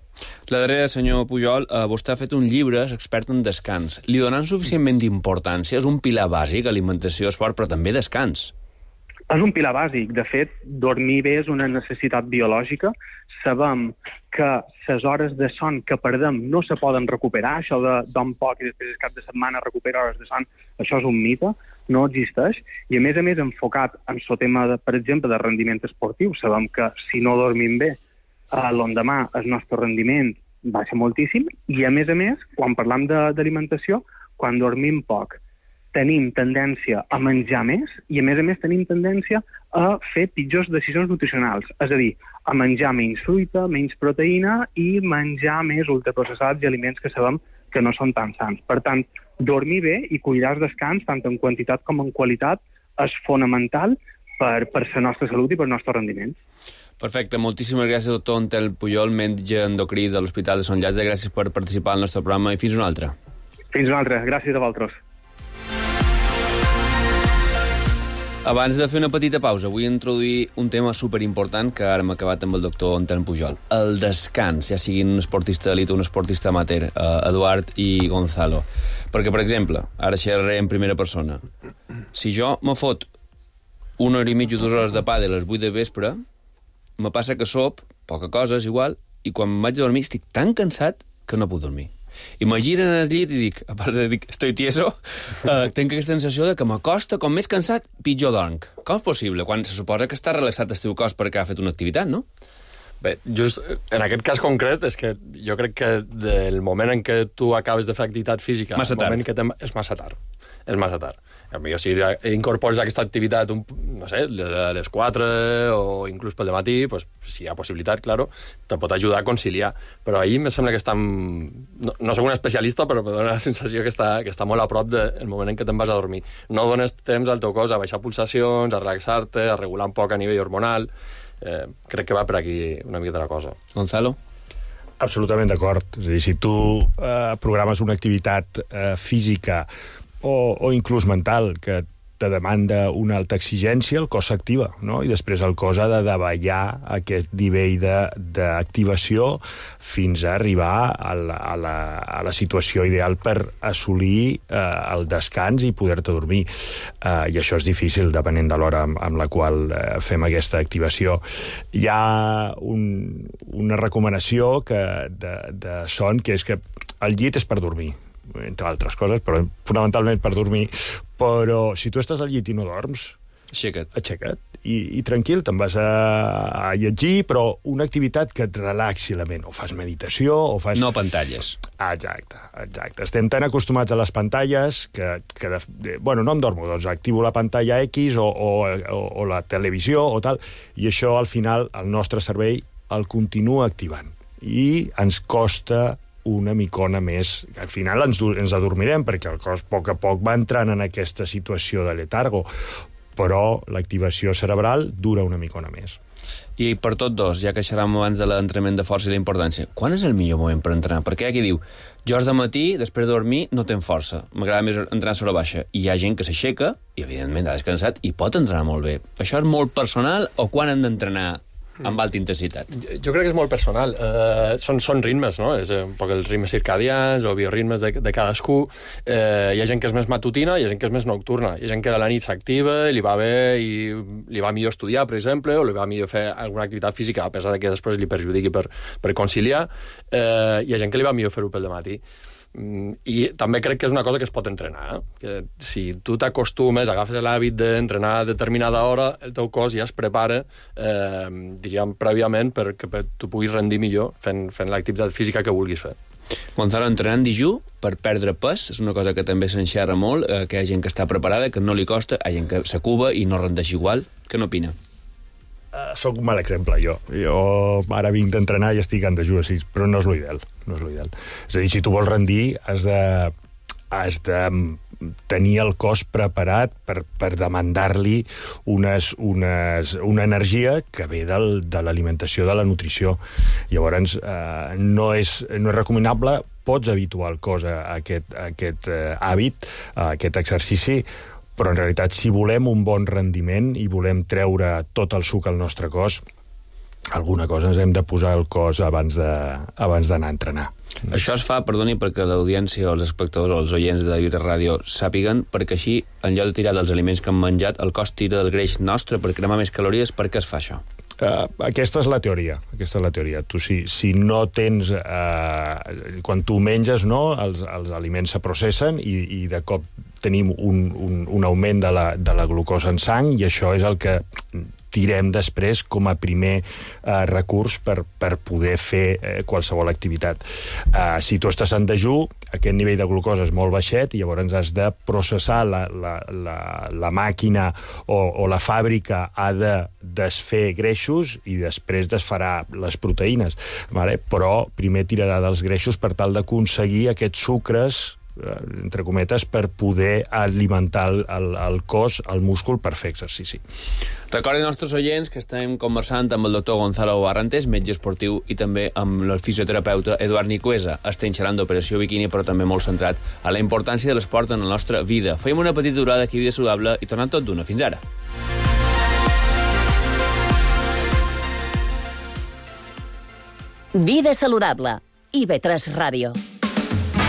La darrera, senyor Pujol, eh, vostè ha fet un llibre, és expert en descans. Li donen suficientment d'importància? És un pilar bàsic, alimentació, esport, però també descans. És un pilar bàsic. De fet, dormir bé és una necessitat biològica. Sabem que les hores de son que perdem no se poden recuperar. Això de dorm poc i després el cap de setmana recupera hores de son, això és un mite, no existeix. I a més a més, enfocat en el tema, de, per exemple, de rendiment esportiu, sabem que si no dormim bé, eh, l'endemà el nostre rendiment baixa moltíssim. I a més a més, quan parlam d'alimentació, quan dormim poc, tenim tendència a menjar més i, a més a més, tenim tendència a fer pitjors decisions nutricionals. És a dir, a menjar menys fruita, menys proteïna i menjar més ultraprocessats i aliments que sabem que no són tan sants. Per tant, dormir bé i cuidar el descans, tant en quantitat com en qualitat, és fonamental per, per la nostra salut i per el nostre rendiment. Perfecte, moltíssimes gràcies, doctor Ontel Pujol, metge endocrí de l'Hospital de Sant Llàtzer. Gràcies per participar al nostre programa i fins una altra. Fins una altra. Gràcies a vosaltres. Abans de fer una petita pausa, vull introduir un tema superimportant que ara hem acabat amb el doctor Ontel Pujol. El descans, ja siguin un esportista d'elit o un esportista amateur, eh, Eduard i Gonzalo. Perquè, per exemple, ara xerraré en primera persona. Si jo me fot una hora i mitja, dues hores de pàdel a les vuit de vespre, me passa que sop, poca cosa, és igual, i quan vaig a dormir estic tan cansat que no puc dormir. I me giren al llit i dic, a part de dir que estoy tieso, eh, tinc aquesta sensació de que m'acosta, com més cansat, pitjor dorm. Com és possible? Quan se suposa que està relaxat el teu cos perquè ha fet una activitat, no? Bé, just en aquest cas concret és que jo crec que del moment en què tu acabes de fer activitat física... Massa tard. Que és massa tard. És massa tard. Potser si incorpores aquesta activitat, un, no sé, a les quatre o inclús pel dematí, pues, si hi ha possibilitat, claro, te pot ajudar a conciliar. Però ahir em sembla que està... No, no soc un especialista, però em dona la sensació que està, que està molt a prop del moment en què te'n vas a dormir. No dones temps al teu cos a baixar pulsacions, a relaxar-te, a regular un poc a nivell hormonal. Eh, crec que va per aquí una miqueta la cosa. Gonzalo? Absolutament d'acord. És a dir, si tu eh, programes una activitat eh, física o, o inclús mental que te demanda una alta exigència, el cos s'activa, no? I després el cos ha de davallar aquest nivell d'activació fins a arribar a la, a, la, a la situació ideal per assolir eh, el descans i poder-te dormir. Eh, I això és difícil, depenent de l'hora amb, amb la qual eh, fem aquesta activació. Hi ha un, una recomanació que, de, de son, que és que el llit és per dormir, entre altres coses, però fonamentalment per dormir, però si tu estàs al llit i no dorms, aixeca't, aixeca't i, i tranquil, te'n vas a, a llegir, però una activitat que et relaxi la ment, o fas meditació, o fas... No pantalles. Exacte, exacte. Estem tan acostumats a les pantalles que, que de, de, bueno, no em dormo, doncs activo la pantalla X o, o, o, o la televisió o tal, i això al final el nostre cervell el continua activant i ens costa una micona més. Al final ens, ens adormirem perquè el cos a poc a poc va entrant en aquesta situació de letargo, però l'activació cerebral dura una micona més. I per tot dos, ja que xerràvem abans de l'entrenament de força i la importància, quan és el millor moment per entrenar? Perquè hi ha qui diu, jo de matí, després de dormir, no tenc força, m'agrada més entrenar sobre baixa. I hi ha gent que s'aixeca, i evidentment ha descansat, i pot entrenar molt bé. Això és molt personal o quan hem d'entrenar amb alta intensitat? Jo, jo crec que és molt personal. Uh, són, són ritmes, no? És un poc els ritmes circadians o bioritmes de, de cadascú. Uh, hi ha gent que és més matutina, hi ha gent que és més nocturna. Hi ha gent que a la nit s'activa, li va bé i li va millor estudiar, per exemple, o li va millor fer alguna activitat física, a pesar de que després li perjudiqui per, per conciliar. Uh, hi ha gent que li va millor fer-ho pel dematí. I també crec que és una cosa que es pot entrenar, eh? Que si tu t'acostumes, agafes l'hàbit d'entrenar a determinada hora, el teu cos ja es prepara, eh, diríem, prèviament perquè tu puguis rendir millor fent, fent l'activitat física que vulguis fer. Gonzalo, entrenant dijú per perdre pes és una cosa que també s'enxerra molt, eh, que hi ha gent que està preparada, que no li costa, hi ha gent que s'acuba i no rendeix igual. Què n'opina? Uh, soc un mal exemple, jo. Jo ara vinc d'entrenar i estic en dejú, sí, però no és l'ideal. No és l'ideal. És a dir, si tu vols rendir, has de, has de tenir el cos preparat per, per demandar-li unes, unes, una energia que ve del, de l'alimentació, de la nutrició. Llavors, eh, no, és, no és recomanable, pots habituar el cos a, a aquest, a aquest eh, hàbit, a aquest exercici, però en realitat, si volem un bon rendiment i volem treure tot el suc al nostre cos, alguna cosa ens hem de posar al cos abans de, abans d'anar a entrenar. Això es fa, perdoni, perquè l'audiència, els espectadors o els oients de Vida Ràdio sàpiguen, perquè així, en lloc de tirar dels aliments que hem menjat, el cos tira del greix nostre per cremar més calories. Per què es fa això? Uh, aquesta és la teoria, aquesta és la teoria. Tu, si, si no tens... Uh, quan tu menges, no, els, els aliments se processen i, i de cop tenim un, un, un augment de la, de la glucosa en sang i això és el que tirem després com a primer eh, recurs per, per poder fer eh, qualsevol activitat. Eh, si tu estàs en dejú, aquest nivell de glucosa és molt baixet i llavors has de processar la, la, la, la màquina o, o la fàbrica ha de desfer greixos i després desfarà les proteïnes, vale? Però primer tirarà dels greixos per tal d'aconseguir aquests sucres entre cometes, per poder alimentar el, el, el cos, el múscul, per fer exercici. Recordin als nostres oients que estem conversant amb el doctor Gonzalo Barrantes, metge esportiu, i també amb el fisioterapeuta Eduard Nicuesa. Estem xerrant d'Operació Bikini, però també molt centrat a la importància de l'esport en la nostra vida. Fem una petita durada aquí a Vida Saludable i tornem tot d'una. Fins ara. Vida Saludable. I ve tres Ràdio.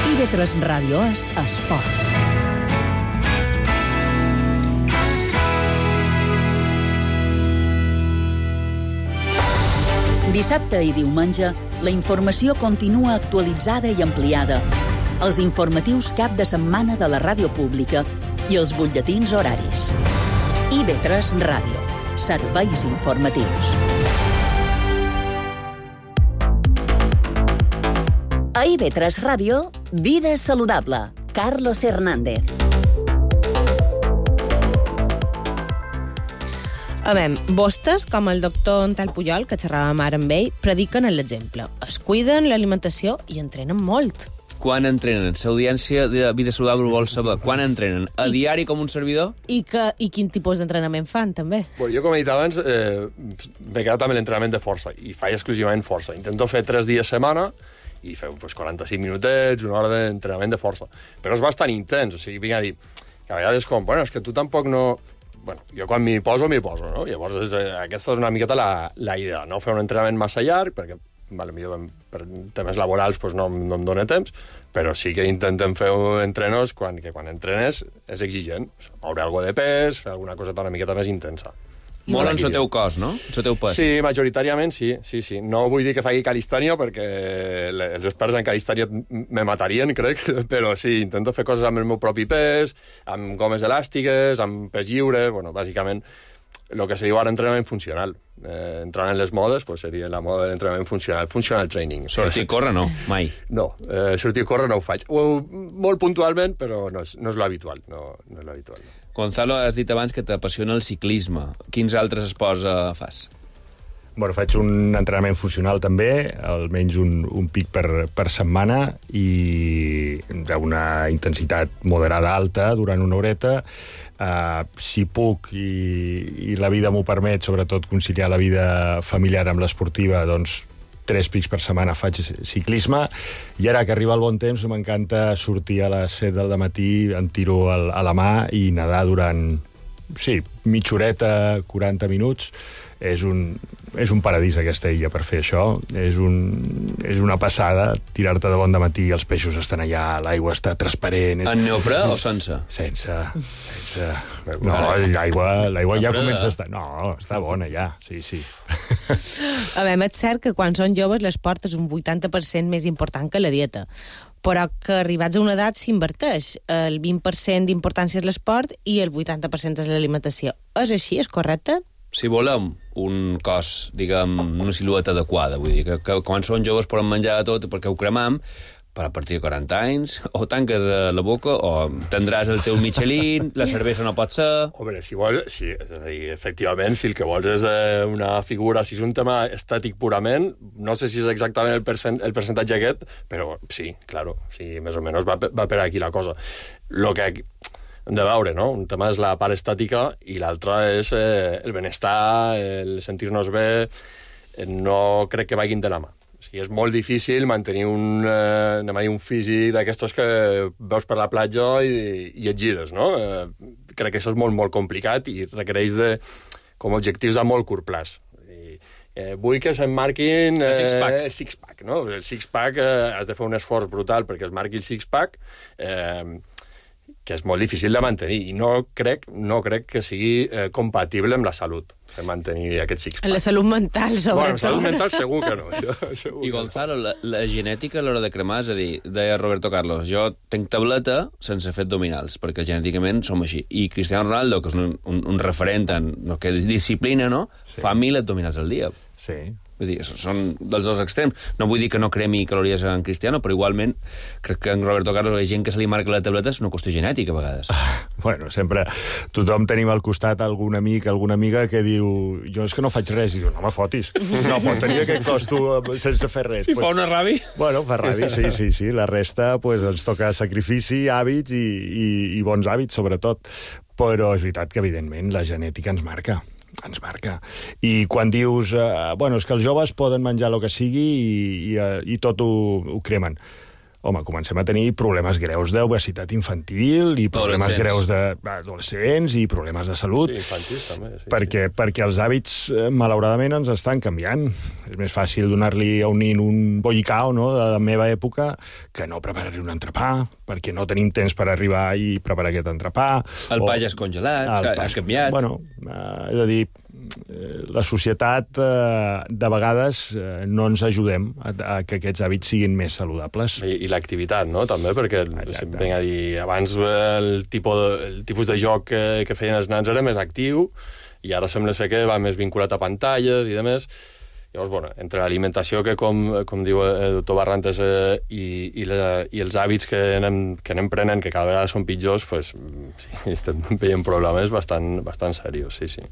I ve tres Ràdio és esport. Dissabte i diumenge, la informació continua actualitzada i ampliada. Els informatius cap de setmana de la ràdio pública i els butlletins horaris. I B tres Ràdio. Serveis informatius. A I B tres Ràdio, Vida Saludable. Carlos Hernández. A veure, vostès, com el doctor Antal Pujol, que xerràvem ara amb ell, prediquen l'exemple. Es cuiden l'alimentació i entrenen molt. Quan entrenen? L'audiència de Vida Saludable vol saber. Quan entrenen? A I... diari com un servidor? I, que, i quin tipus d'entrenament fan, també? Bueno, jo, com he dit abans, eh, m'he quedat amb l'entrenament de força, i faig exclusivament força. Intento fer tres dies a setmana i feu pues, quaranta-cinc minutets, una hora d'entrenament de força. Però és bastant intens, o sigui, vinc a dir, que a vegades com, bueno, és que tu tampoc no... Bueno, jo quan m'hi poso, m'hi poso, no? Llavors, és, eh, aquesta és una miqueta la, la idea, no fer un entrenament massa llarg, perquè, vale, millor per temes laborals pues, no, no em dóna temps, però sí que intentem fer entrenos quan, que quan entrenes és exigent. Moure alguna de pes, fer alguna coseta una miqueta més intensa. Molt en el teu cos, no? En el teu pes. Sí, majoritàriament sí, sí, sí. No vull dir que faci calistènia, perquè els experts en calistènia me matarien, crec, però sí, intento fer coses amb el meu propi pes, amb gomes elàstiques, amb pes lliure, bueno, bàsicament, el que se diu ara entrenament funcional. Eh, entrant en les modes, pues, seria la moda d'entrenament funcional, funcional training. Sortir a córrer, no, mai. No, eh, sortir a córrer no ho faig. Ho, molt puntualment, però no és, no és l'habitual, no, no és l'habitual. No. Gonzalo, has dit abans que t'apassiona el ciclisme. Quins altres esports eh, fas? Bueno, faig un entrenament funcional també, almenys un, un pic per, per setmana i una intensitat moderada alta durant una horeta. Uh, si puc i, i la vida m'ho permet, sobretot conciliar la vida familiar amb l'esportiva, doncs tres pics per setmana faig ciclisme, i ara que arriba el bon temps m'encanta sortir a les set del matí, en tiro a la mà i nedar durant, sí, mitja horeta, quaranta minuts. És un, és un paradís aquesta illa per fer això. És, un, és una passada tirar-te de bon dematí, els peixos estan allà, l'aigua està transparent. És... En neoprè o sense? Sense. sense. No, l'aigua, l'aigua ja comença a estar... No, està bona ja, sí, sí. A veure, és cert que quan són joves l'esport és un vuitanta per cent més important que la dieta, però que arribats a una edat s'inverteix. El vint per cent d'importància és l'esport i el vuitanta per cent és l'alimentació. És així? És correcte? Si volem un cos, diguem, una silueta adequada, vull dir, que, que quan són joves poden menjar tot perquè ho cremam, però a partir de quaranta anys, o tanques la boca, o tindràs el teu Michelin, la cervesa no pot ser... Home, si vols, sí, és a dir, efectivament, si el que vols és eh, una figura, si és un tema estètic purament, no sé si és exactament el, percent, el percentatge aquest, però sí, claro, sí, més o menys va, va per aquí la cosa. Lo que hem de veure, no? Un tema és la part estàtica i l'altre és eh, el benestar, el sentir-nos bé, no crec que vagin de la mà. O sigui, és molt difícil mantenir un, eh, anem a dir, un físic d'aquestos que veus per la platja i, i et gires, no? Eh, crec que això és molt, molt complicat i requereix de, com a objectius a molt curt plaç. I, eh, vull que s'emmarquin eh, el six-pack. El six-pack, no? El six-pack eh, has de fer un esforç brutal perquè es marqui el six-pack, eh, que és molt difícil de mantenir, i no crec, no crec que sigui eh, compatible amb la salut, de mantenir aquest six-pack. La salut mental, sobretot. Bueno, salut mental segur que no. Això, segur I Gonzalo, la, la genètica a l'hora de cremar, és a dir, deia Roberto Carlos, jo tenc tableta sense fer abdominals, perquè genèticament som així. I Cristiano Ronaldo, que és un, un, un referent en no, que disciplina, no? Sí. Fa mil abdominals al dia. Sí. Vull dir, són dels dos extrems. No vull dir que no cremi calories en Cristiano, però igualment crec que en Roberto Carlos la gent que se li marca la tableta és una qüestió genètica, a vegades. Ah, bueno, sempre tothom tenim al costat algun amic, alguna amiga que diu jo és que no faig res, i diu, no me fotis. No pot tenir aquest cos tu sense fer res. I pues, fa una ràbia? Bueno, fa ràbia, sí, sí, sí. La resta pues, ens toca sacrifici, hàbits i, i, i bons hàbits, sobretot. Però és veritat que, evidentment, la genètica ens marca. ens marca. I quan dius, eh, bueno, és que els joves poden menjar el que sigui i, i, i tot ho, ho cremen. Home, comencem a tenir problemes greus d'obesitat infantil i problemes greus d'adolescents i problemes de salut. Sí, infantils també. Sí, perquè, sí. perquè els hàbits, malauradament, ens estan canviant. És més fàcil donar-li a un nin un bollicao, no?, de la meva època, que no preparar-li un entrepà, perquè no tenim temps per arribar i preparar aquest entrepà. El pa ja és congelat, el ha, ha canviat. Bueno, eh, és a dir, la societat eh, de vegades eh, no ens ajudem a, a que aquests hàbits siguin més saludables. I, i l'activitat, no?, també, perquè vinc a dir, abans el tipus de, el tipus de joc que, que feien els nans era més actiu i ara sembla ser que va més vinculat a pantalles i demés. Llavors, bueno, entre l'alimentació, que com, com diu el doctor Barrantes, eh, i, i, la, i els hàbits que anem, que anem prenent, que cada vegada són pitjors, pues, sí, estem veient problemes bastant, bastant serios, sí, sí.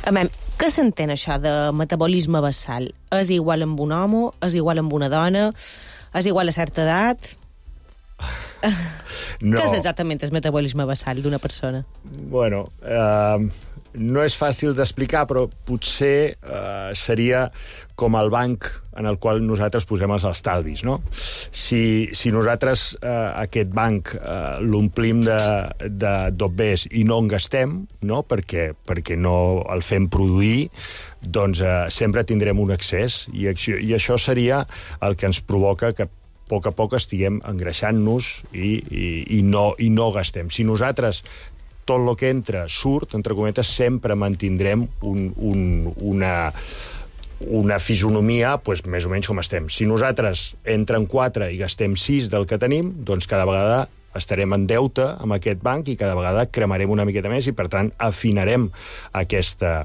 A veure, què s'entén això de metabolisme basal? És igual amb un home? És igual amb una dona? És igual a certa edat? No. Què és exactament el metabolisme basal d'una persona? Bueno, eh, no és fàcil d'explicar, però potser eh, seria com el banc en el qual nosaltres posem els estalvis, no? Si, si nosaltres eh, aquest banc eh, l'omplim de, de dobbers i no en gastem, no? Perquè, perquè no el fem produir, doncs eh, sempre tindrem un excés, i, i això seria el que ens provoca que a poc a poc estiguem engreixant-nos i, i, i, no, i no gastem. Si nosaltres tot el que entra surt, entre cometes, sempre mantindrem un, un, una, una fisonomia pues, més o menys com estem. Si nosaltres entren quatre i gastem sis del que tenim, doncs cada vegada estarem en deute amb aquest banc i cada vegada cremarem una miqueta més i, per tant, afinarem aquesta,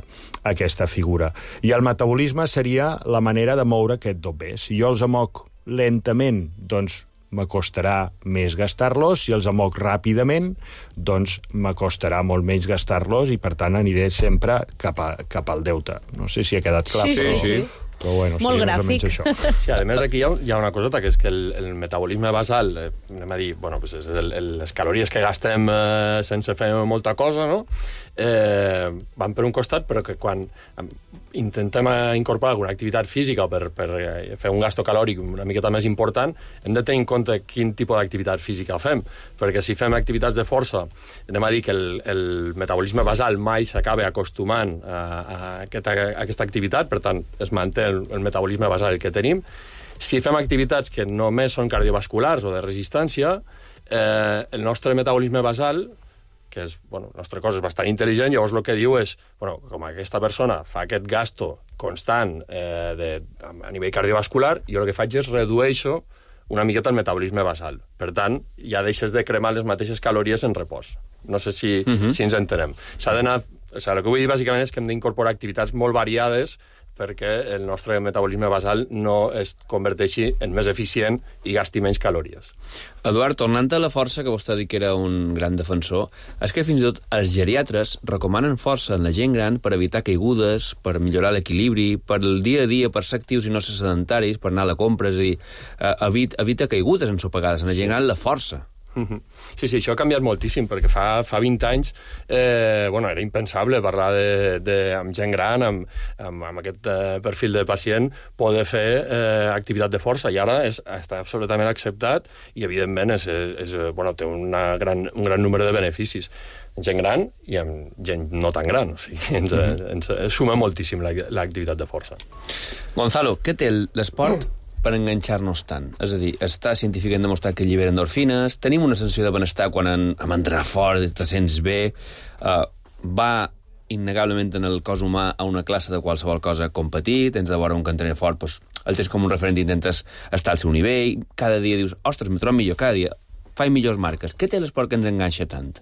aquesta figura. I el metabolisme seria la manera de moure aquest dobber. Si jo els amoc lentament, doncs m'acostarà més gastar-los, si els amoc ràpidament, doncs m'acostarà molt menys gastar-los i, per tant, aniré sempre cap, a, cap al deute. No sé si ha quedat clar. Sí, però... sí, sí. Però, bueno, molt sí, gràfic. Això. Sí, a més, aquí hi ha, hi ha una coseta, que és que el, el metabolisme basal, eh, anem a dir, bueno, pues és el, el, les calories que gastem eh, sense fer molta cosa, no?, eh, van per un costat, però que quan intentem incorporar alguna activitat física per, per fer un gasto calòric una miqueta més important, hem de tenir en compte quin tipus d'activitat física fem, perquè si fem activitats de força, anem a dir que el, el metabolisme basal mai s'acaba acostumant a, a, aquesta, a aquesta activitat, per tant, es manté el, el metabolisme basal que tenim. Si fem activitats que només són cardiovasculars o de resistència, eh, el nostre metabolisme basal, que és, bueno, el nostre cos és bastant intel·ligent, llavors el que diu és, bueno, com aquesta persona fa aquest gasto constant eh, de, a nivell cardiovascular, jo el que faig és redueixo una miqueta el metabolisme basal. Per tant, ja deixes de cremar les mateixes calories en repòs. No sé si, uh-huh. si ens entenem. S'ha d'anar... O sigui, el que vull dir, bàsicament, és que hem d'incorporar activitats molt variades perquè el nostre metabolisme basal no es converteixi en més eficient i gasti menys calories. Eduard, tornant a la força, que vostè ha dit que era un gran defensor, és que fins i tot els geriatres recomanen força en la gent gran per evitar caigudes, per millorar l'equilibri, per el dia a dia, per ser actius i no ser sedentaris, per anar a la compra, és a dir, evita, evita caigudes ensopegades. En la gent gran, la força. Sí, sí, això ha canviat moltíssim, perquè fa, fa vint anys eh, bueno, era impensable parlar de, de, amb gent gran, amb, amb, amb aquest eh, perfil de pacient, poder fer eh, activitat de força, i ara és, està absolutament acceptat i, evidentment, és, és, bueno, té una gran, un gran número de beneficis. Gent gran i amb gent no tan gran, o sigui, ens, mm-hmm. ens, ens suma moltíssim l'activitat de força. Gonzalo, què té l'esport per enganxar-nos tant? És a dir, està científicament demostrat que allibera endorfines, tenim una sensació de benestar quan en, amb entrenar fort, te sents bé, uh, va innegablement en el cos humà a una classe de qualsevol cosa competir, tens de veure un que entrena fort, doncs, el tens com un referent i intentes estar al seu nivell, cada dia dius, ostres, me trobo millor, cada dia faig millors marques. Què té l'esport que ens enganxa tant?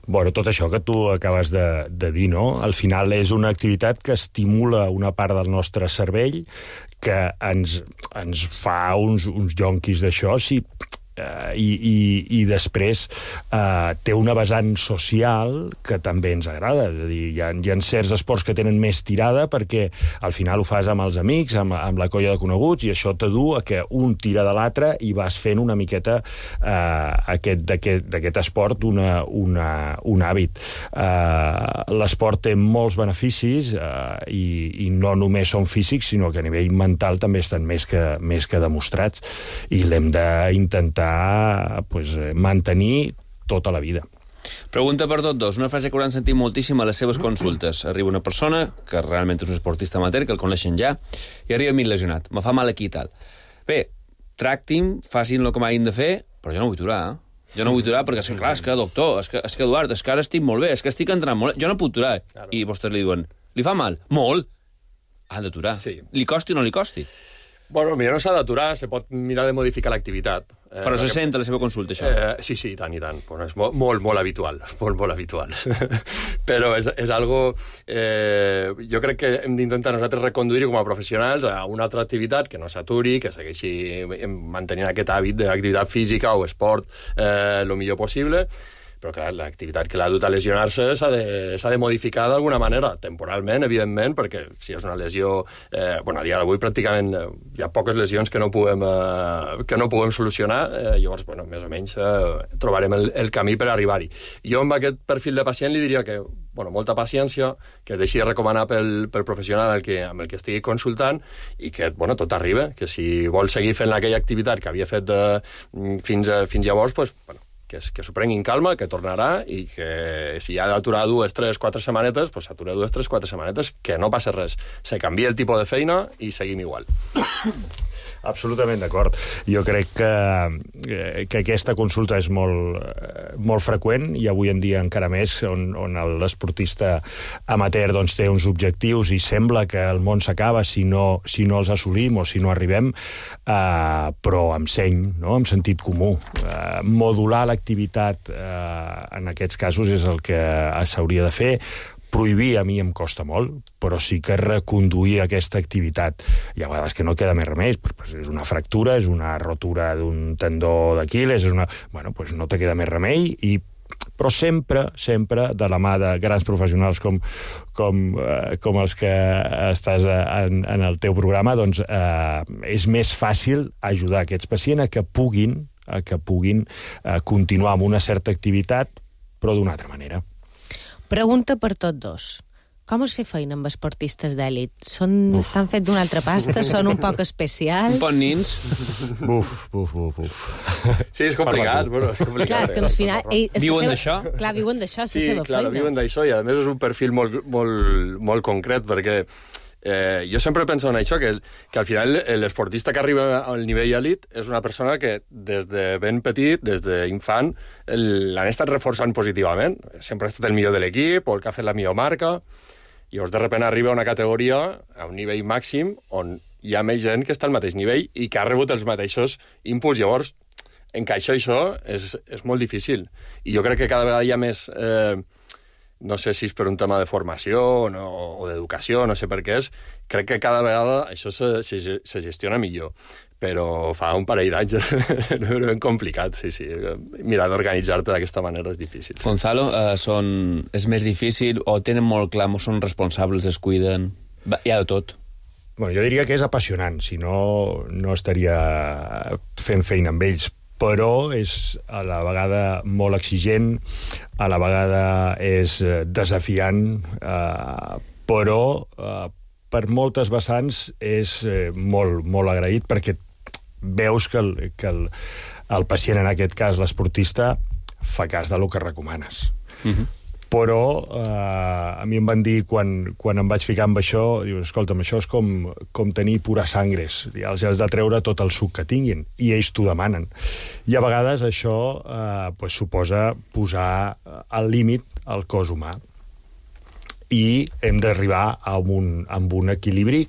Bueno, tot això que tu acabes de, de dir, no? Al final és una activitat que estimula una part del nostre cervell, que ens, ens fa uns, uns jonquis d'això, sí, Uh, i, i, i després uh, té una vessant social que també ens agrada. És a dir, hi ha, hi ha certs esports que tenen més tirada perquè al final ho fas amb els amics, amb, amb la colla de coneguts, i això te du a que un tira de l'altre i vas fent una miqueta uh, aquest, d'aquest esport una, una, un hàbit. Uh, l'esport té molts beneficis uh, i, i no només són físics, sinó que a nivell mental també estan més que, més que demostrats, i l'hem d'intentar pues, mantenir tota la vida. Pregunta per tots dos. Una frase que hauran sentit moltíssim a les seves consultes. Arriba una persona que realment és un esportista amateur, que el coneixen ja, i arriba a mi lesionat. Me fa mal aquí i tal. Bé, tracti'm, facin el que m'hagin de fer, però jo no vull aturar, eh? Jo no vull aturar perquè, és que, clar, és que, doctor, és que, és que Eduard, és que ara estic molt bé, és que estic entrant molt bé, jo no puc aturar. I vostès li diuen, Li fa mal? Molt. Ha d'aturar. Sí. Li costi o no li costi? Bueno, millor no s'ha d'aturar, se pot mirar de modificar l'activitat. Eh, Però se perquè... sent a la seva consulta, això? Eh, sí, sí, i tant, i tant. Bueno, és molt, molt, molt habitual, molt, molt habitual. Però és, és algo... Eh, jo crec que hem d'intentar nosaltres reconduir com a professionals a una altra activitat que no s'aturi, que segueixi mantenint aquest hàbit d'activitat física o esport eh, el millor possible. Però, clar, l'activitat que l'ha dut a lesionar-se s'ha de, s'ha de modificar d'alguna manera, temporalment, evidentment, perquè si és una lesió... Eh, bueno, a dia d'avui pràcticament eh, hi ha poques lesions que no puguem, eh, que no puguem solucionar, eh, llavors, bueno, més o menys eh, trobarem el, el camí per arribar-hi. Jo amb aquest perfil de pacient li diria que, bueno, molta paciència, que es deixi de recomanar pel, pel professional el que, amb el que estigui consultant i que, bueno, tot arriba, que si vol seguir fent aquella activitat que havia fet de, fins, a, fins llavors, pues, bueno, que, que s'ho prengui en calma, que tornarà i que si ha d'aturar dues, tres, quatre setmanetes, pues s'atura dues, tres, quatre setmanetes, que no passa res. Se canvia el tipus de feina i seguim igual. Absolutament d'acord. Jo crec que, que aquesta consulta és molt, molt freqüent i avui en dia encara més, on, on l'esportista amateur doncs, té uns objectius i sembla que el món s'acaba si, no, si no els assolim o si no arribem, eh, però amb seny, no? Amb sentit comú. Eh, modular l'activitat eh, en aquests casos és el que s'hauria de fer. Prohibir a mi em costa molt, però sí que reconduir aquesta activitat. Hi ha vegades que no queda més remei, però és una fractura, és una rotura d'un tendó d'Aquil·les, és una... Bueno, doncs no te queda més remei, i... però sempre, sempre, de la mà de grans professionals com, com, eh, com els que estàs en, en el teu programa, doncs eh, és més fàcil ajudar aquests pacients a que puguin, a que puguin eh, continuar amb una certa activitat, però d'una altra manera. Pregunta per tots dos. Com es fa feina amb esportistes d'èlit? Són, estan fets d'una altra pasta? Són un poc especials? Un poc nins? Buf, buf, buf, buf. Sí, és complicat. Bueno, és complicat. Clar, és que al final... Ei, viuen seva... d'això? Clar, viuen d'això, és la sí, seva clar, feina. viuen d'això i a més és un perfil molt, molt, molt concret perquè eh, jo sempre penso en això, que, que al final l'esportista que arriba al nivell elit és una persona que des de ben petit, des d'infant, l'han estat reforçant positivament. Sempre ha estat el millor de l'equip o el que ha fet la millor marca. I llavors de sobte arriba a una categoria, a un nivell màxim, on hi ha més gent que està al mateix nivell i que ha rebut els mateixos inputs. Llavors, encaixar això és, és molt difícil. I jo crec que cada vegada hi ha més... Eh, no sé si és per un tema de formació no, o d'educació, no sé per què és, crec que cada vegada això se, se, se gestiona millor. Però fa un parell d'anys és ben complicat, sí, sí. Mirar d'organitzar-te d'aquesta manera és difícil. Sí. Gonzalo, eh, són... és més difícil o tenen molt clar, o són responsables, es cuiden? Va, hi ha de tot. Bueno, jo diria que és apassionant, si no, no estaria fent feina amb ells, però és a la vegada molt exigent, a la vegada és desafiant, eh, però eh, per moltes vessants és eh, molt, molt agraït, perquè veus que, el, que el, el pacient, en aquest cas l'esportista, fa cas del que recomanes. Mm-hmm. Però eh, a mi em van dir, quan, quan em vaig ficar amb això, diu, escolta'm, això és com, com tenir pura sangres, els has de treure tot el suc que tinguin, i ells t'ho demanen. I a vegades això eh, pues, suposa posar al límit el cos humà. I hem d'arribar a un, a un equilibri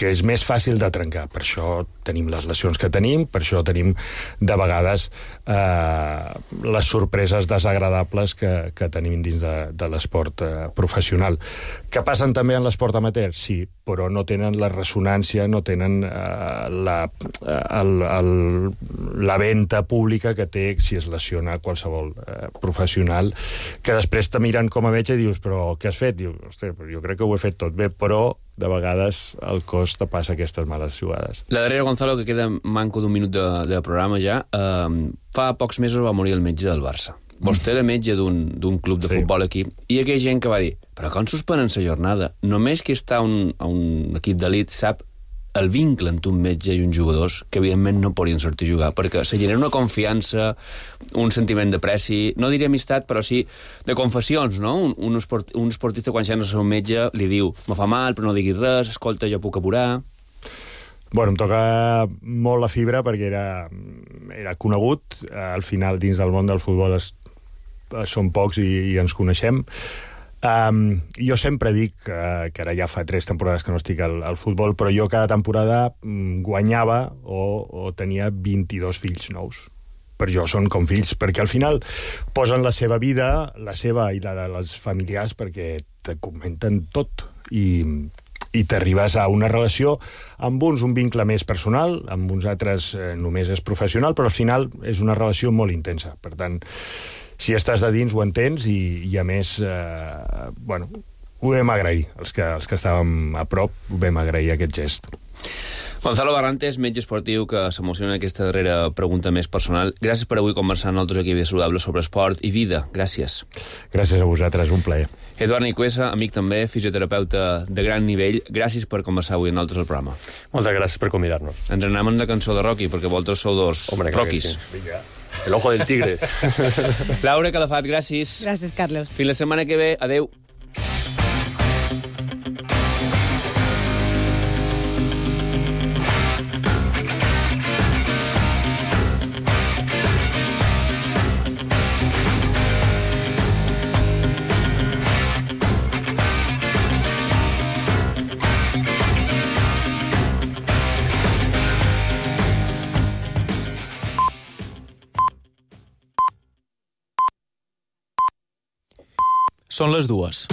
que és més fàcil de trencar. Per això tenim les lesions que tenim, per això tenim de vegades eh, les sorpreses desagradables que, que tenim dins de, de l'esport eh, professional. Que passen també en l'esport amateur? Sí, però no tenen la ressonància, no tenen eh, la, el, el, la venta pública que té si es lesiona qualsevol eh, professional, que després te miren com a metge i dius, però què has fet? Diu, hosti, jo crec que ho he fet tot bé, però de vegades el cos te passa aquestes males jugades. La darrera, Gonzalo, que queda manco d'un minut de, de programa ja, eh, fa pocs mesos va morir el metge del Barça. Vostè era metge d'un club de sí. futbol aquí, i aquella gent que va dir, però com suspenen la jornada? Només qui està a un, a un equip d'elit sap el vincle entre un metge i uns jugadors que evidentment no podien sortir a jugar, perquè se genera una confiança, un sentiment de preci, no diré amistat, però sí de confessions, no? Un, un, esport, un esportista quan ja no és un metge li diu, me fa mal però no diguis res, escolta, jo puc apurar. Bueno, em toca molt la fibra perquè era, era conegut, al final dins del món del futbol es, som pocs i, i ens coneixem. Um, jo sempre dic que, que ara ja fa tres temporades que no estic al, al futbol, però jo cada temporada mm, guanyava o, o tenia vint-i-dos fills nous. Per jo són com fills, perquè al final posen la seva vida, la seva i la de les familiars, perquè te comenten tot i, i t'arribes a una relació amb uns un vincle més personal, amb uns altres eh, només és professional, però al final és una relació molt intensa. Per tant, si estàs de dins ho entens i, i a més, eh, bueno, ho vam agrair. Els que, els que estàvem a prop ho vam agrair, aquest gest. Gonzalo Barrantes, metge esportiu, que s'emociona en aquesta darrera pregunta més personal. Gràcies per avui conversar amb nosaltres aquí a Vida Saludable sobre esport i vida. Gràcies. Gràcies a vosaltres, un plaer. Eduard Nicuesa, amic també, fisioterapeuta de gran nivell. Gràcies per conversar avui amb nosaltres al programa. Moltes gràcies per convidar-nos. Ens anem amb la cançó de Rocky, perquè vosaltres sou dos Hombre, Rockys. Sí. Vinga. El ojo del tigre. Laura Calafat, gràcies. Gràcies, Carlos. Fins la setmana que ve. Adeu. Són les dues.